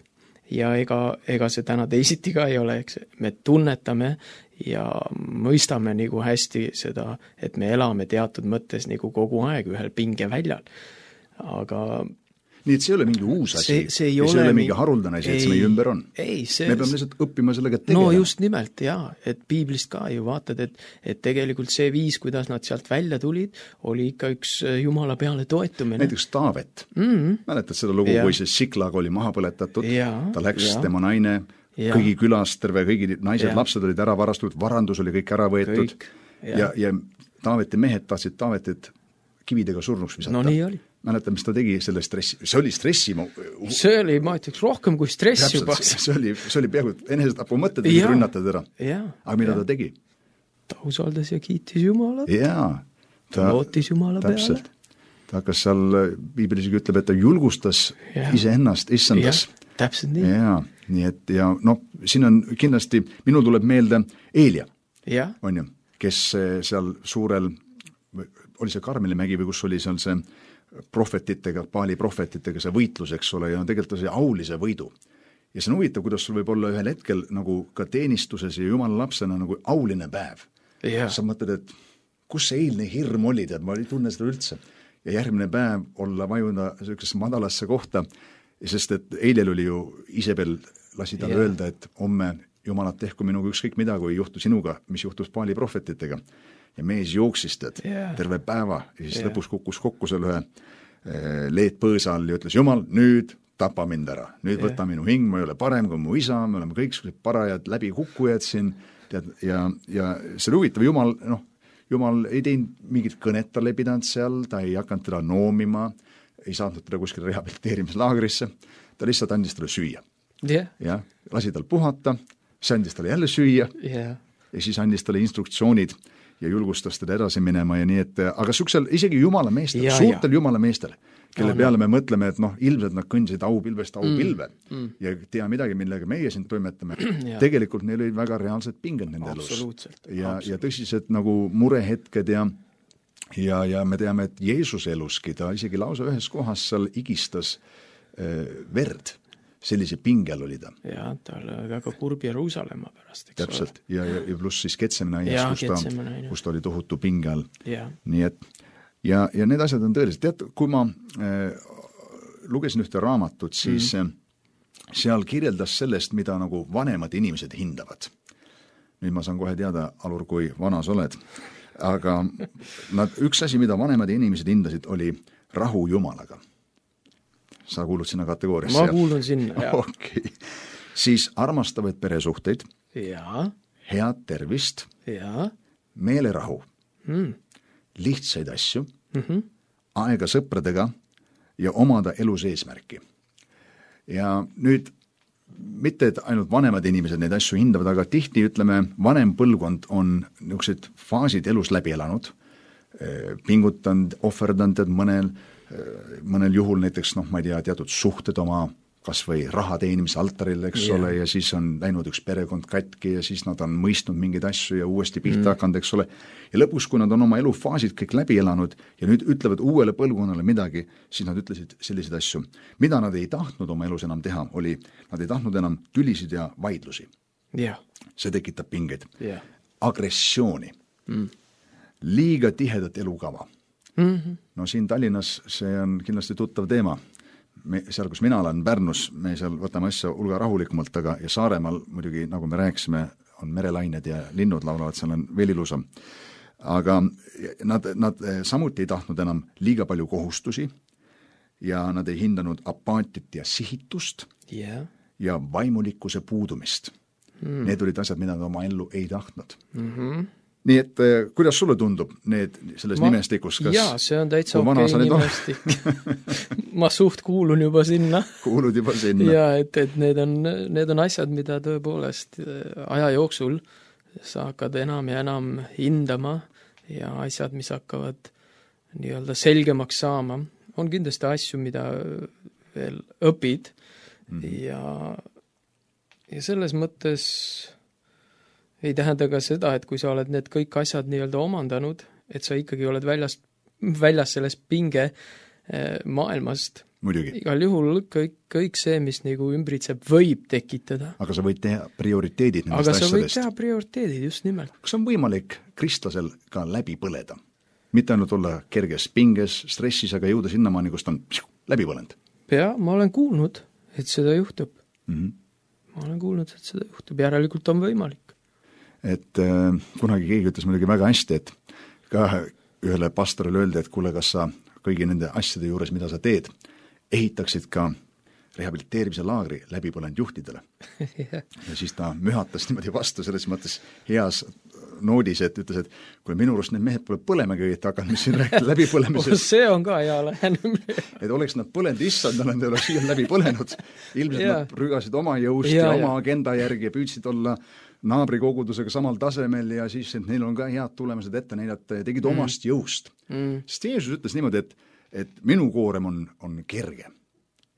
ja ega see täna teisiti ka ei ole, eks me tunnetame ja mõistame nagu hästi seda, et me elame teatud mõttes nagu kogu aeg ühel pingeväljal. Aga nii et see ei ole mingi uus asi, see ei ole mingi haruldane asi, et see meie ümber on. Me peame lihtsalt õppima sellega tegelema. No just nimelt, jaa, et piiblist ka ju vaatad, et tegelikult see viis, kuidas nad sealt välja tulid, oli ikka üks Jumala peale toetumine. Näiteks Taavet. Mäletad seda lugu, kui see Siklag oli maha põletatud, ta läks tema naine, kõigi külas, kõigi naised, lapsed olid ära varastatud, varandus oli kõik ära võetud ja Taaveti mehed tahtsid Taavetit kividega surnuks visata. No nii oli. Mäletan, mis ta tegi selle stressi, see oli stressi. See oli, ma ütleks, rohkem kui stress juba. See oli peaaegu enesetapu mõtted, mis rünnatad ära. Aga mida ta tegi? Ta usaldas ja kiitis Jumalat. Ta lootis Jumala peale. Ta hakkas seal, piibel isegi ütleb, et ta julgustas iseennast, issandas. Täpselt nii. Nii et siin on kindlasti, minul tuleb meelde Eelia, on ju, kes seal suurel, oli see Karmelimägi või kus oli seal see prohvetitega, Paali prohvetitega see võitlus, eks ole, ja tegelikult see aulise võidu. Ja see on huvitav, kuidas sul võib olla ühel hetkel nagu ka teenistuses ja Jumala lapsena nagu auline päev. sa mõtled, et kus see eilne hirm oli, tead, ma ei tunne seda üldse. Ja järgmine päev olla vajuda sellisesse madalasse kohta, sest et eilel oli ju Isabel lasi talle öelda, et homme Jumalat tehku minuga ükskõik mida, kui juhtu sinuga, mis juhtus Paali prohvetitega. Ja mees jooksis terve päeva ja siis lõpus kukkus kokku selle ühe leedpõõsa all ja ütles, Jumal, nüüd tapa mind ära. Nüüd võta minu hing, ma ei ole parem kui mu isa, me oleme kõik parajad läbikukkujad siin. Tead, ja see huvitav Jumal ei teinud mingit kõnet, talle ei pidanud seal, ta ei hakanud teda noomima, ei saatnud teda kuskil rehabiliteerimislaagrisse, ta lihtsalt andis talle süüa. Ja lasi tal puhata, see andis talle jälle süüa ja siis andis talle instruktsioonid ja julgustas teda edasi minema ja nii, et aga suksel isegi jumala meestel, suurtel jumala meestel, kelle peale me mõtleme, et ilmselt nad kõndisid aupilvest aupilve ja tea midagi, millega meie siin toimetame. Tegelikult neil olid väga reaalsed pinged nende elus. Ja tõsised nagu murehetked ja me teame, et Jeesuse eluski ta isegi lausa ühes kohas seal igistas verd. Sellise pingel oli ta. Ja, ta oli väga kurb Jeruusalemma pärast, eks täpselt. Ja pluss siis Getsemane, kus ta oli tohutu pingel. Nii et, ja need asjad on tõeliselt. Tead, kui ma lugesin ühte raamatut, siis seal kirjeldas sellest, mida nagu vanemad inimesed hindavad. Nüüd ma saan kohe teada, Alur, kui vana sa oled. Aga üks asi, mida vanemad inimesed hindasid, oli rahu Jumalaga. Sa kuulud sinna kategooriasse? Ma kuulun sinna, jah. Okay. Siis armastavaid peresuhteid, head tervist, meelerahu, lihtsaid asju, aega sõpradega ja omada elus eesmärki. Ja nüüd mitte, et ainult vanemad inimesed neid asju hindavad, aga tihti, ütleme, vanem põlvkond on niisugused faasid elus läbi elanud, pingutanud, ohverdanud, et mõnel juhul näiteks, ma ei tea, teatud suhted oma kas või raha teenimise altaril, eks ole, ja siis on läinud üks perekond katki ja siis nad on mõistnud mingeid asju ja uuesti pihta hakanud, eks ole. Ja lõpus, kui nad on oma elufaasid kõik läbi elanud ja nüüd ütlevad uuele põlvkonnale midagi, siis nad ütlesid selliseid asju. Mida nad ei tahtnud oma elus enam teha, oli, nad ei tahtnud enam tülisid ja vaidlusi. See tekitab pingeid. Agressiooni. Liiga tihedat elukava. No siin Tallinnas see on kindlasti tuttav teema. Seal, kus mina olen Pärnus, me seal võtame asja hulga rahulikumalt, aga ja Saaremaal muidugi, nagu me rääkisime, on merelained ja linnud laulavad, seal on veel ilusam. Aga nad samuti ei tahtnud enam liiga palju kohustusi ja nad ei hindanud apaatit ja sihitust ja vaimulikkuse puudumist. Need olid asjad, mida nad oma ellu ei tahtnud. Nii et kuidas sulle tundub need selles nimestikus? Jaa, see on täitsa okei nimestik. Ma suht kuulun juba sinna. Kuulud juba sinna. Ja, et need on asjad, mida tõepoolest aja jooksul sa hakkad enam ja enam hindama ja asjad, mis hakkavad nii-öelda selgemaks saama. On kindlasti asju, mida veel õpid ja selles mõttes ei tähenda ka seda, et kui sa oled need kõik asjad nii-öelda omandanud, et sa ikkagi oled väljas sellest pinge maailmast. Muidugi. Igal juhul kõik see, mis nagu ümbritseb, võib tekitada. Aga sa võid teha prioriteedid nendest asjadest. Aga sa võid teha prioriteedid, just nimelt. Kas on võimalik kristlasel ka läbi põleda? Mitte ainult olla kerges pinges, stressis, aga jõuda sinnamaani, kus ta on läbi põlenud? Ja, ma olen kuulnud, et seda juhtub. Ma olen kuulnud, et seda juhtub. Järelikult on võimalik. Et kunagi keegi ütles muidugi väga hästi, et ka ühele pastorile öeldi, et kuule, kas sa kõigi nende asjade juures, mida sa teed, ehitaksid ka rehabiliteerimise laagri läbipõlenud juhtidele. Ja siis ta mühatas niimoodi vastu selles mõttes heas noodis, et ütles, et kui minu arust need mehed pole põlemegi õieti hakanud, mis siin rääkida läbipõlemisest. See on ka hea lähenemine. Et oleks nad põlenud issand, nad ei ole siia läbi põlenud. Ilmselt nad rügasid oma jõust ja oma agenda järgi ja püüdsid olla naabrikogudusega samal tasemel ja siis, et neil on ka head tulemused ette näidata ja tegid omast jõust. Sest Jeesus ütles niimoodi, et minu koorem on kerge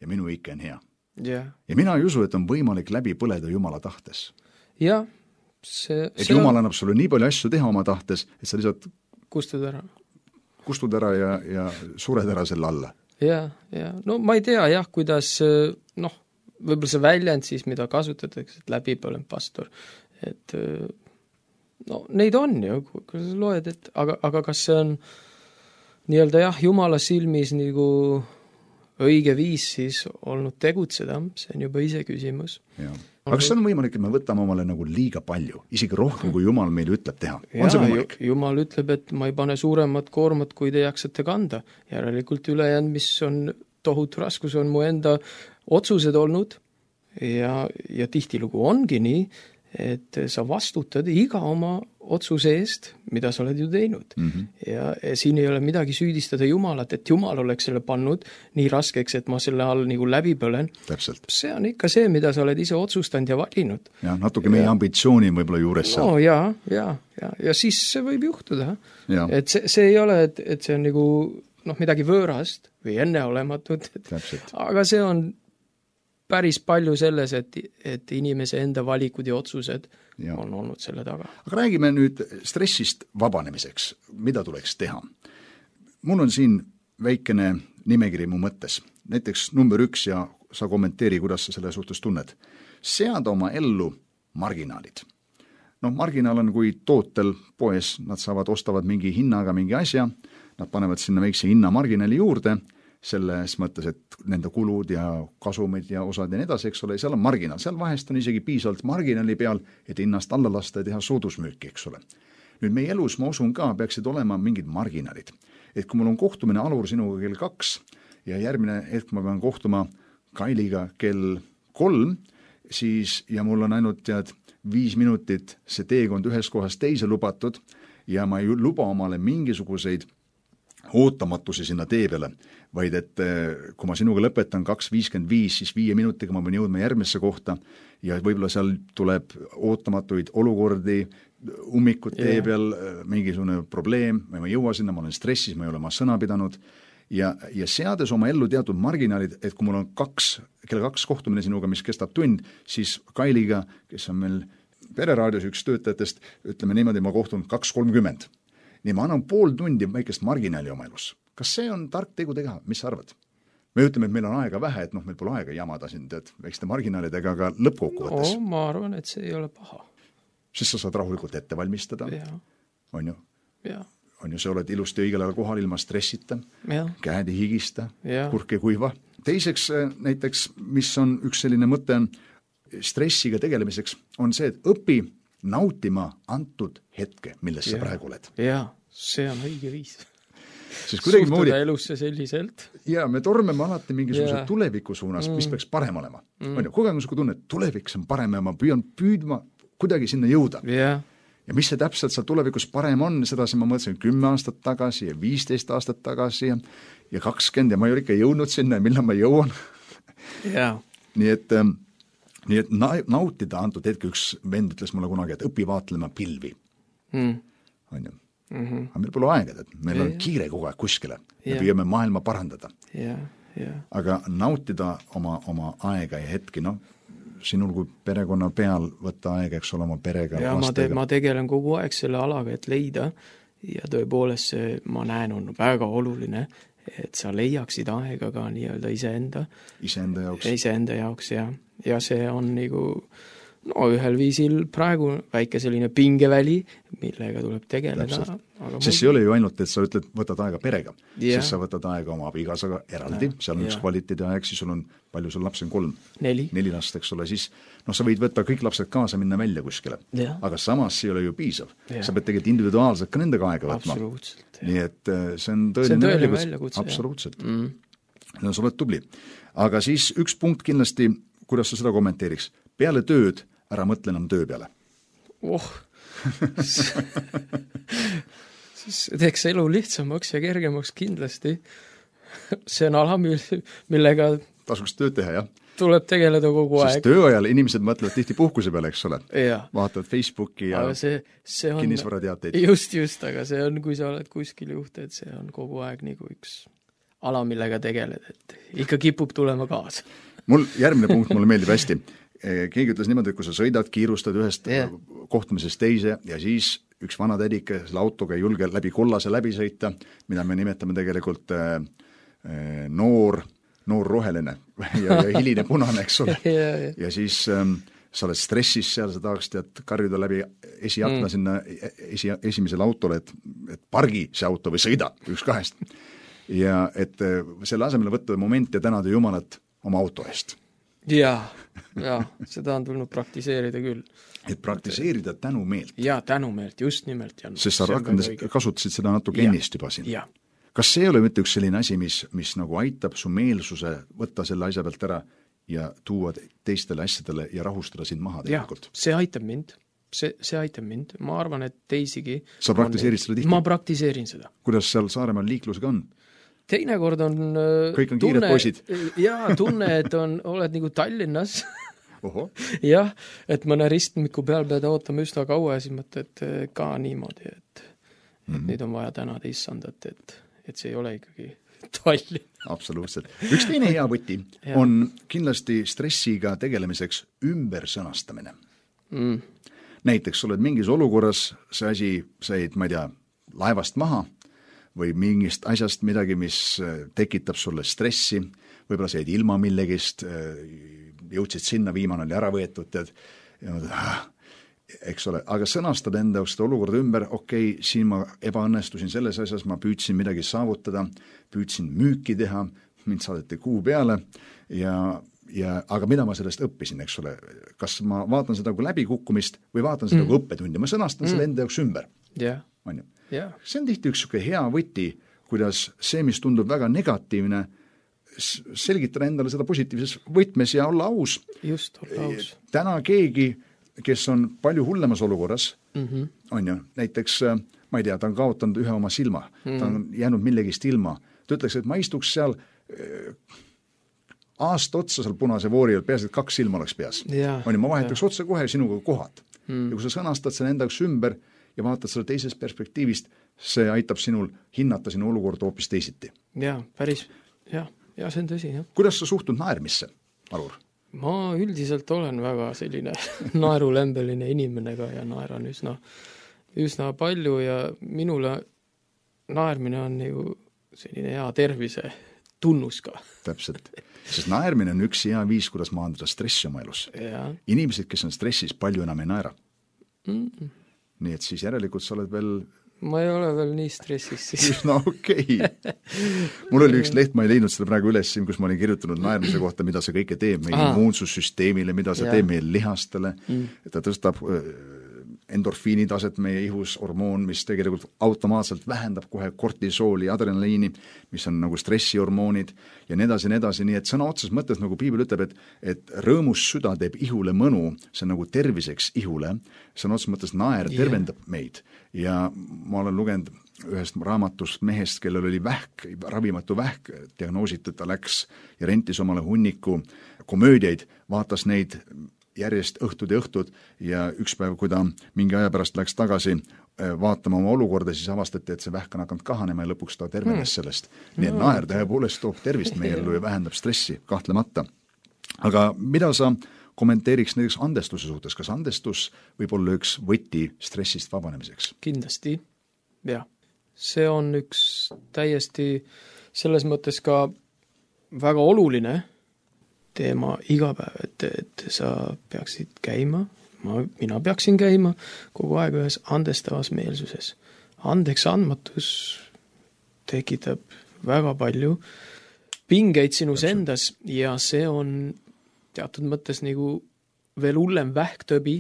ja minu ikke on hea. Ja mina ei usu, et on võimalik läbi põleda Jumala tahtes. Jah. Et Jumal annab sulle nii palju asju teha oma tahtes, et sa lihtsalt kustud ära ja sured ära selle alla. Ja. No ma ei tea jah, kuidas, võib-olla see väljend siis, mida kasutatakse, et läbipõlenud pastor, et no neid on ju, kui sa loed, et aga kas see on nii-öelda jah, Jumala silmis nagu õige viis siis olnud tegutseda, see on juba ise küsimus. Aga kas on võimalik, et me võtame omale nagu liiga palju, isegi rohkem, kui Jumal meil ütleb teha? On see võimalik? Jumal ütleb, et ma ei pane suuremat koormat, kui te jaksate kanda. Järelikult ülejäänud, mis on tohutu raskus, on mu enda otsused olnud ja tihtilugu ongi nii, et sa vastutad iga oma otsuse eest, mida sa oled ju teinud. Ja siin ei ole midagi süüdistada Jumalat, et Jumal oleks selle pannud nii raskeks, et ma selle all nagu läbi põlen. Täpselt. See on ikka see, mida sa oled ise otsustanud ja valinud. Ja natuke meie ambitsiooni võib-olla juures seal. No ja siis see võib juhtuda. Et see ei ole, et see on nagu midagi võõrast või enneolematut, aga see on päris palju selles, et inimese enda valikud ja otsused on olnud selle taga. Aga räägime nüüd stressist vabanemiseks. Mida tuleks teha? Mul on siin väikene nimekiri mu mõttes. Näiteks number 1 ja sa kommenteeri, kuidas sa selle suhtes tunned. Seada oma ellu marginaalid. Marginaal on, kui tootel poes, nad ostavad mingi hinnaga mingi asja, nad panevad sinna väikse hinna marginaali juurde, selles mõttes, et nende kulud ja kasumid ja osad ja nii edasi, eks ole, seal on marginaal. Seal vahest on isegi piisavalt marginaali peal, et hinnast alla lasta ja teha soodusmüüki, eks ole. Nüüd meie elus, ma usun ka, peaksid olema mingid marginaalid. Et kui mul on kohtumine Alur sinuga kell 2 ja järgmine hetk ma pean kohtuma Kailiga kell 3, siis ja mul on ainult 5 minutit see teekond ühest kohast teise lubatud ja ma ei luba omale mingisuguseid ootamatusi sinna tee peale, vaid et kui ma sinuga lõpetan 2.55, siis 5 minutiga ma võin jõudma järgmisse kohta ja võib-olla seal tuleb ootamatuid olukordi, ummikud tee peal, mingisugune probleem, ma ei jõua sinna, ma olen stressis, ma ei ole oma sõna pidanud ja seades oma ellu teatud marginaalid, et kui mul on kell 2 kohtumine sinuga, mis kestab tund, siis Kailiga, kes on meil pereraadios üks töötajatest, ütleme niimoodi, ma kohtun 2.30. Nii ma annan pool tundi väikest marginaali oma elus. Kas see on tark tegu teha? Mis sa arvad? Me ütleme, et meil on aega vähe, et meil pole aega jamada siin väikeste marginaalidega, aga lõppkokkuvõttes. Ma arvan, et see ei ole paha. Sest sa saad rahulikult ette valmistada. On ju? On ju, sa oled ilusti õigel ajal kohal ilma stressita, käed ei higista, kurk ei kuiva. Teiseks näiteks, mis on üks selline mõte stressiga tegelemiseks, on see, et õpi nautima antud hetke, milles sa praegu oled. See on õige viis. Suhtuda elusse selliselt. Ja me tormeme alati mingisuguse tuleviku suunas, mis peaks parem olema. Kogu aeg on siuke tunne, et tulevik on parem ja ma püüdma kuidagi sinna jõuda. Ja mis see täpselt seal tulevikus parem on, seda ma mõtlesin 10 aastat tagasi ja 15 aastat tagasi ja 20 ja ma ei ole ikka jõudnud sinna ja millal ma jõuan. Nii et nautida antud hetke, üks vend ütles mulle kunagi, et õpi vaatlema pilvi. On ju? Aga meil pole aega, et meil on kiire kogu aeg kuskile. Me püüame maailma parandada. Aga nautida oma aega ja hetki, sinul kui perekonna peal võtta aega, eks ole oma perega, lastega. Ma tegelen kogu aeg selle alaga, et leida ja tõepoolest see, ma näen, on väga oluline, et sa leiaksid aega ka nii-öelda iseenda jaoks ja see on nagu ühel viisil praegu väike selline pingeväli, millega tuleb tegeleda. Sest see ei ole ju ainult, et sa ütled, võtad aega perega, sest sa võtad aega oma abikaasaga eraldi, seal on üks kvaliteedi aeg, siis sul on, palju sul lapsi on 3? 4 last, eks ole, siis sa võid võtta kõik lapsed kaasa, minna välja kuskile, aga samas see ei ole ju piisav. Sa pead tegelikult individuaalselt ka nendega aega võtma. Nii et see on tõeline väljakutse. Absoluutselt. Sa oled tubli. Aga siis üks punkt kindlasti, kuidas sa seda kommenteeriks? Peale tööd ära mõtle enam töö peale. Siis teeks elu lihtsamaks ja kergemaks kindlasti. See on ala, millega tasuks tööd teha, jah? Tuleb tegeleda kogu aeg. Sest tööajal inimesed mõtlevad tihti puhkuse peale, eks ole? Vaatavad Facebooki ja kinnisvarateateid. Just, aga see on, kui sa oled kuskil juht, et see on kogu aeg nagu üks ala, millega tegeled, et ikka kipub tulema kaasa. Järgmine punkt mulle meeldib hästi. Keegi ütles niimoodi, et kui sa sõidad, kiirustad ühest kohtumisest teise ja siis üks vana tädike selle autoga ei julge läbi kollase läbi sõita, mida me nimetame tegelikult noor roheline ja hiline punane, eks ole. Ja siis sa oled stressis seal, sa tahaks karjuda läbi esiakna sinna esimesele autole, et pargi see auto või sõida, üks kahest. Ja et selle asemele võtta moment ja tänada Jumalat oma auto eest. Ja, seda on tulnud praktiseerida küll. Et praktiseerida tänumeelt. Ja, tänumeelt, just nimelt. Sest sa kasutasid seda natuke ennist juba siin. Ja. Kas see ei ole mitte üks selline asi, mis nagu aitab su meelsuse võtta selle asja pealt ära ja tuua teistele asjadele ja rahustada sind maha tegelikult? Ja, see aitab mind. See aitab mind. Ma arvan, et teisigi... Sa praktiseerid seda tihti? Ma praktiseerin seda. Kuidas seal Saaremaal liiklusega on? Teinekord on... Kõik on kiired poisid. Jaa, tunne, et oled nagu Tallinnas. Oho. Jah, et mõne ristmiku peal pead ootama üsna kaua ja siis mõtled ka niimoodi, et nüüd on vaja tänada issandat, et see ei ole ikkagi Tallinn. Absoluutselt. Üks teine hea võti on kindlasti stressiga tegelemiseks ümbersõnastamine. Näiteks oled mingis olukorras, see asi said, ma ei tea, laevast maha või mingist asjast midagi, mis tekitab sulle stressi, võib-olla said ilma millegist, jõudsid sinna, viimane oli ära võetud, ja eks ole, aga sõnastad enda seda olukorda ümber, okei, siin ma ebaõnnestusin selles asjas, ma püüdsin midagi saavutada, püüdsin müüki teha, mind saadeti kuu peale aga mida ma sellest õppisin, eks ole, kas ma vaatan seda kui läbikukkumist või vaatan seda kui õppetundi, ma sõnastan selle enda jaoks ümber. See on tihti üks hea võti, kuidas see, mis tundub väga negatiivne, selgitada endale seda positiivses võtmes ja olla aus. Just, olla aus. Täna keegi, kes on palju hullemas olukorras, on ju, näiteks, ma ei tea, ta on kaotanud ühe oma silma, ta on jäänud millegist ilma, ta ütleks, et ma istuks seal aasta otsa seal punase voori, peaasi, et 2 silma oleks peas. On ju, ma vahetaks otsa kohe sinuga kohad. Ja kui sa sõnastad selle endaks ümber ja vaatad selle teisest perspektiivist, see aitab sinul hinnata sinu olukorda hoopis teisiti. Jaa, päris, jah. Ja see on tõsi, jah. Kuidas sa suhtud naermisse, Alur? Ma üldiselt olen väga selline naerulembeline inimenega ja naeran üsna palju ja minule naermine on ju selline hea tervise tunnus ka. Täpselt. Sest naermine on üks hea viis, kuidas maandada stressi oma elus. Inimesed, kes on stressis, palju enam ei naera. Nii et siis järelikult sa oled veel... Ma ei ole veel nii stressis siis. No okei. Mul oli üks leht, ma ei leidnud seda praegu üles, kus ma olin kirjutanud naermise kohta, mida see kõike teeb meie immuunsussüsteemile, mida see teeb meie lihastele. Ta tõstab endorfiinitaset meie ihus, hormoon, mis tegelikult automaatselt vähendab kohe kortisooli, adrenaliini, mis on nagu stressihormoonid ja nii edasi, nii et sõna otses mõttes, nagu Piibel ütleb, et rõõmus süda teeb ihule mõnu, see on nagu terviseks ihule, sõna otses mõttes naer tervendab meid ja ma olen lugenud ühest raamatust mehest, kellel oli vähk, ravimatu vähk, diagnoositud, ta läks ja rentis omale hunniku komöödiaid, vaatas neid järjest õhtud ja üks päev, kui ta mingi aja pärast läks tagasi vaatama oma olukorda, siis avastati, et see vähk on hakanud kahanema ja lõpuks ta tervenes sellest. Nii et naer tõepoolest toob tervist meie ellu ja vähendab stressi, kahtlemata. Aga mida sa kommenteeriks näiteks andestuse suhtes? Kas andestus võib olla üks võti stressist vabanemiseks? Kindlasti, jah. See on üks täiesti selles mõttes ka väga oluline teema iga päev, et sa peaksid käima, mina peaksin käima kogu aeg ühes andestavas meelsuses. Andeks andmatus tekitab väga palju pingeid sinus endas ja see on teatud mõttes nagu veel hullem vähktöbi,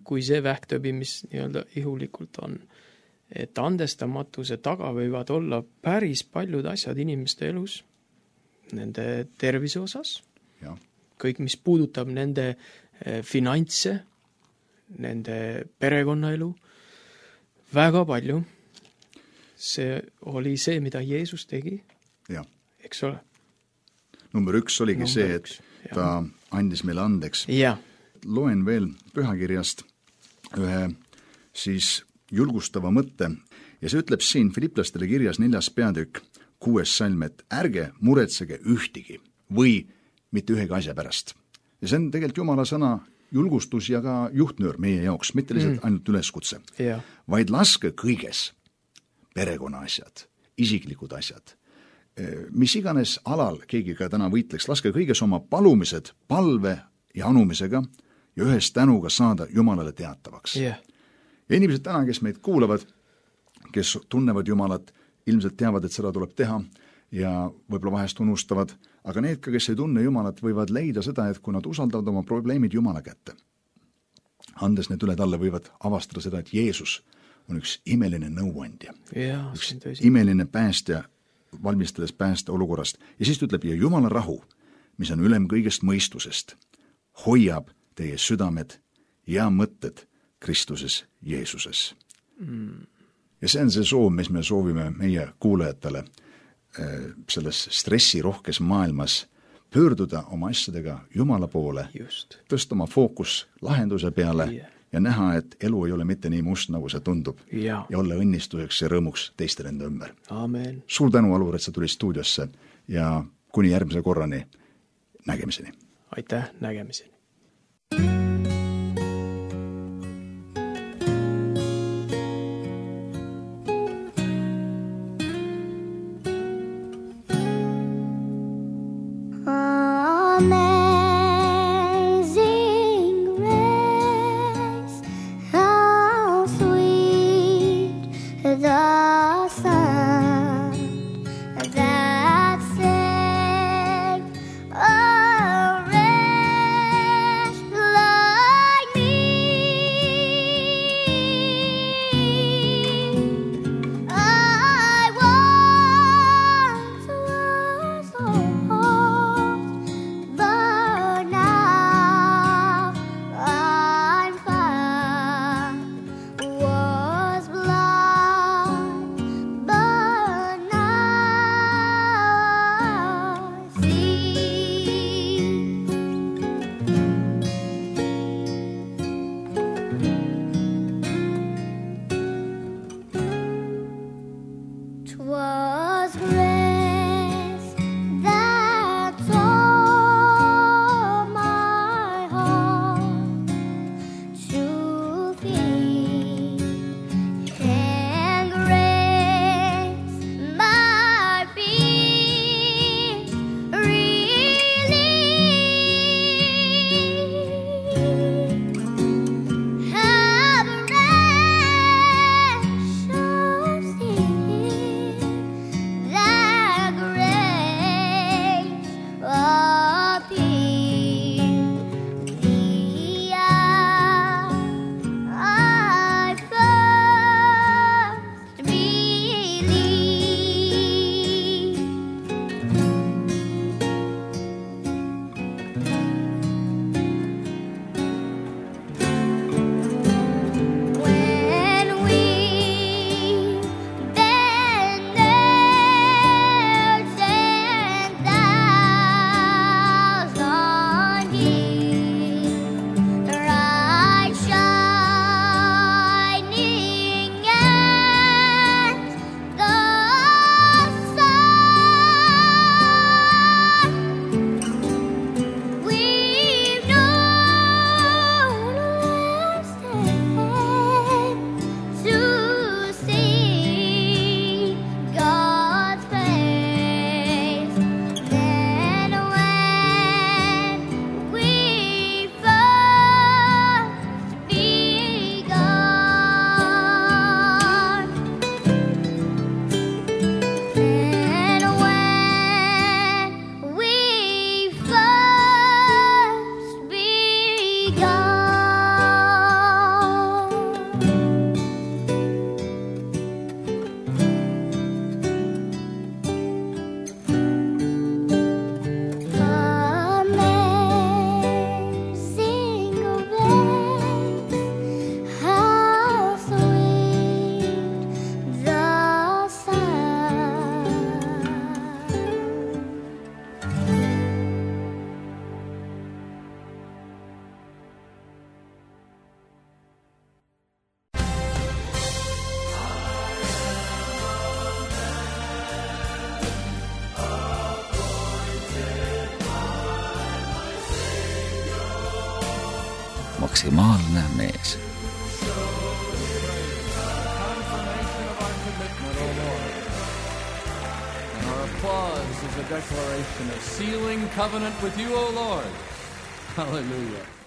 kui see vähktöbi, mis nii-öelda ihulikult on. Et andestamatuse taga võivad olla päris paljud asjad inimeste elus, nende tervise osas, kõik, mis puudutab nende finantse, nende perekonnaelu, väga palju. See oli see, mida Jeesus tegi, eks ole. Number 1 oligi see, et ta andis meile andeks. Loen veel pühakirjast ühe siis julgustava mõtte ja see ütleb siin Filiplastele kirjas 4. peatükk 6. salm, et ärge muretsege ühtigi või mitte ühegi asja pärast. Ja see on tegelikult Jumala sõna julgustus ja ka juhtnöör meie jaoks, mitte lihtsalt ainult üleskutse, vaid laske kõiges, perekonna asjad, isiklikud asjad, mis iganes alal keegi ka täna võitleks, laske kõiges oma palumised palve ja anumisega ja ühes tänuga saada Jumalale teatavaks. Yeah. Ja inimesed täna, kes meid kuulavad, kes tunnevad Jumalat, ilmselt teavad, et seda tuleb teha ja võib-olla vahest unustavad, aga need ka, kes ei tunne Jumalat, võivad leida seda, et kui nad usaldavad oma probleemid Jumala kätte, andes need üle talle, võivad avastada seda, et Jeesus on üks imeline nõuandja, üks imeline päästja, valmistades pääste olukorrast. Ja siis ütleb, ja Jumala rahu, mis on ülem kõigest mõistusest, hoiab teie südamed ja mõtted Kristuses Jeesuses. Ja see on see soov, mis me soovime meie kuulajatele selles stressirohkes maailmas pöörduda oma asjadega Jumala poole, tõsta oma fookus lahenduse peale ja näha, et elu ei ole mitte nii must, nagu see tundub ja olla õnnistuseks ja rõõmuks teistele enda ümber. Amen. Suur tänu, Alur, et sa tulid stuudiosse ja kuni järgmise korrani nägemiseni. Aitäh, nägemiseni. Maksimaalne mees. Our applause is a declaration of sealing covenant with you, O Lord. Hallelujah.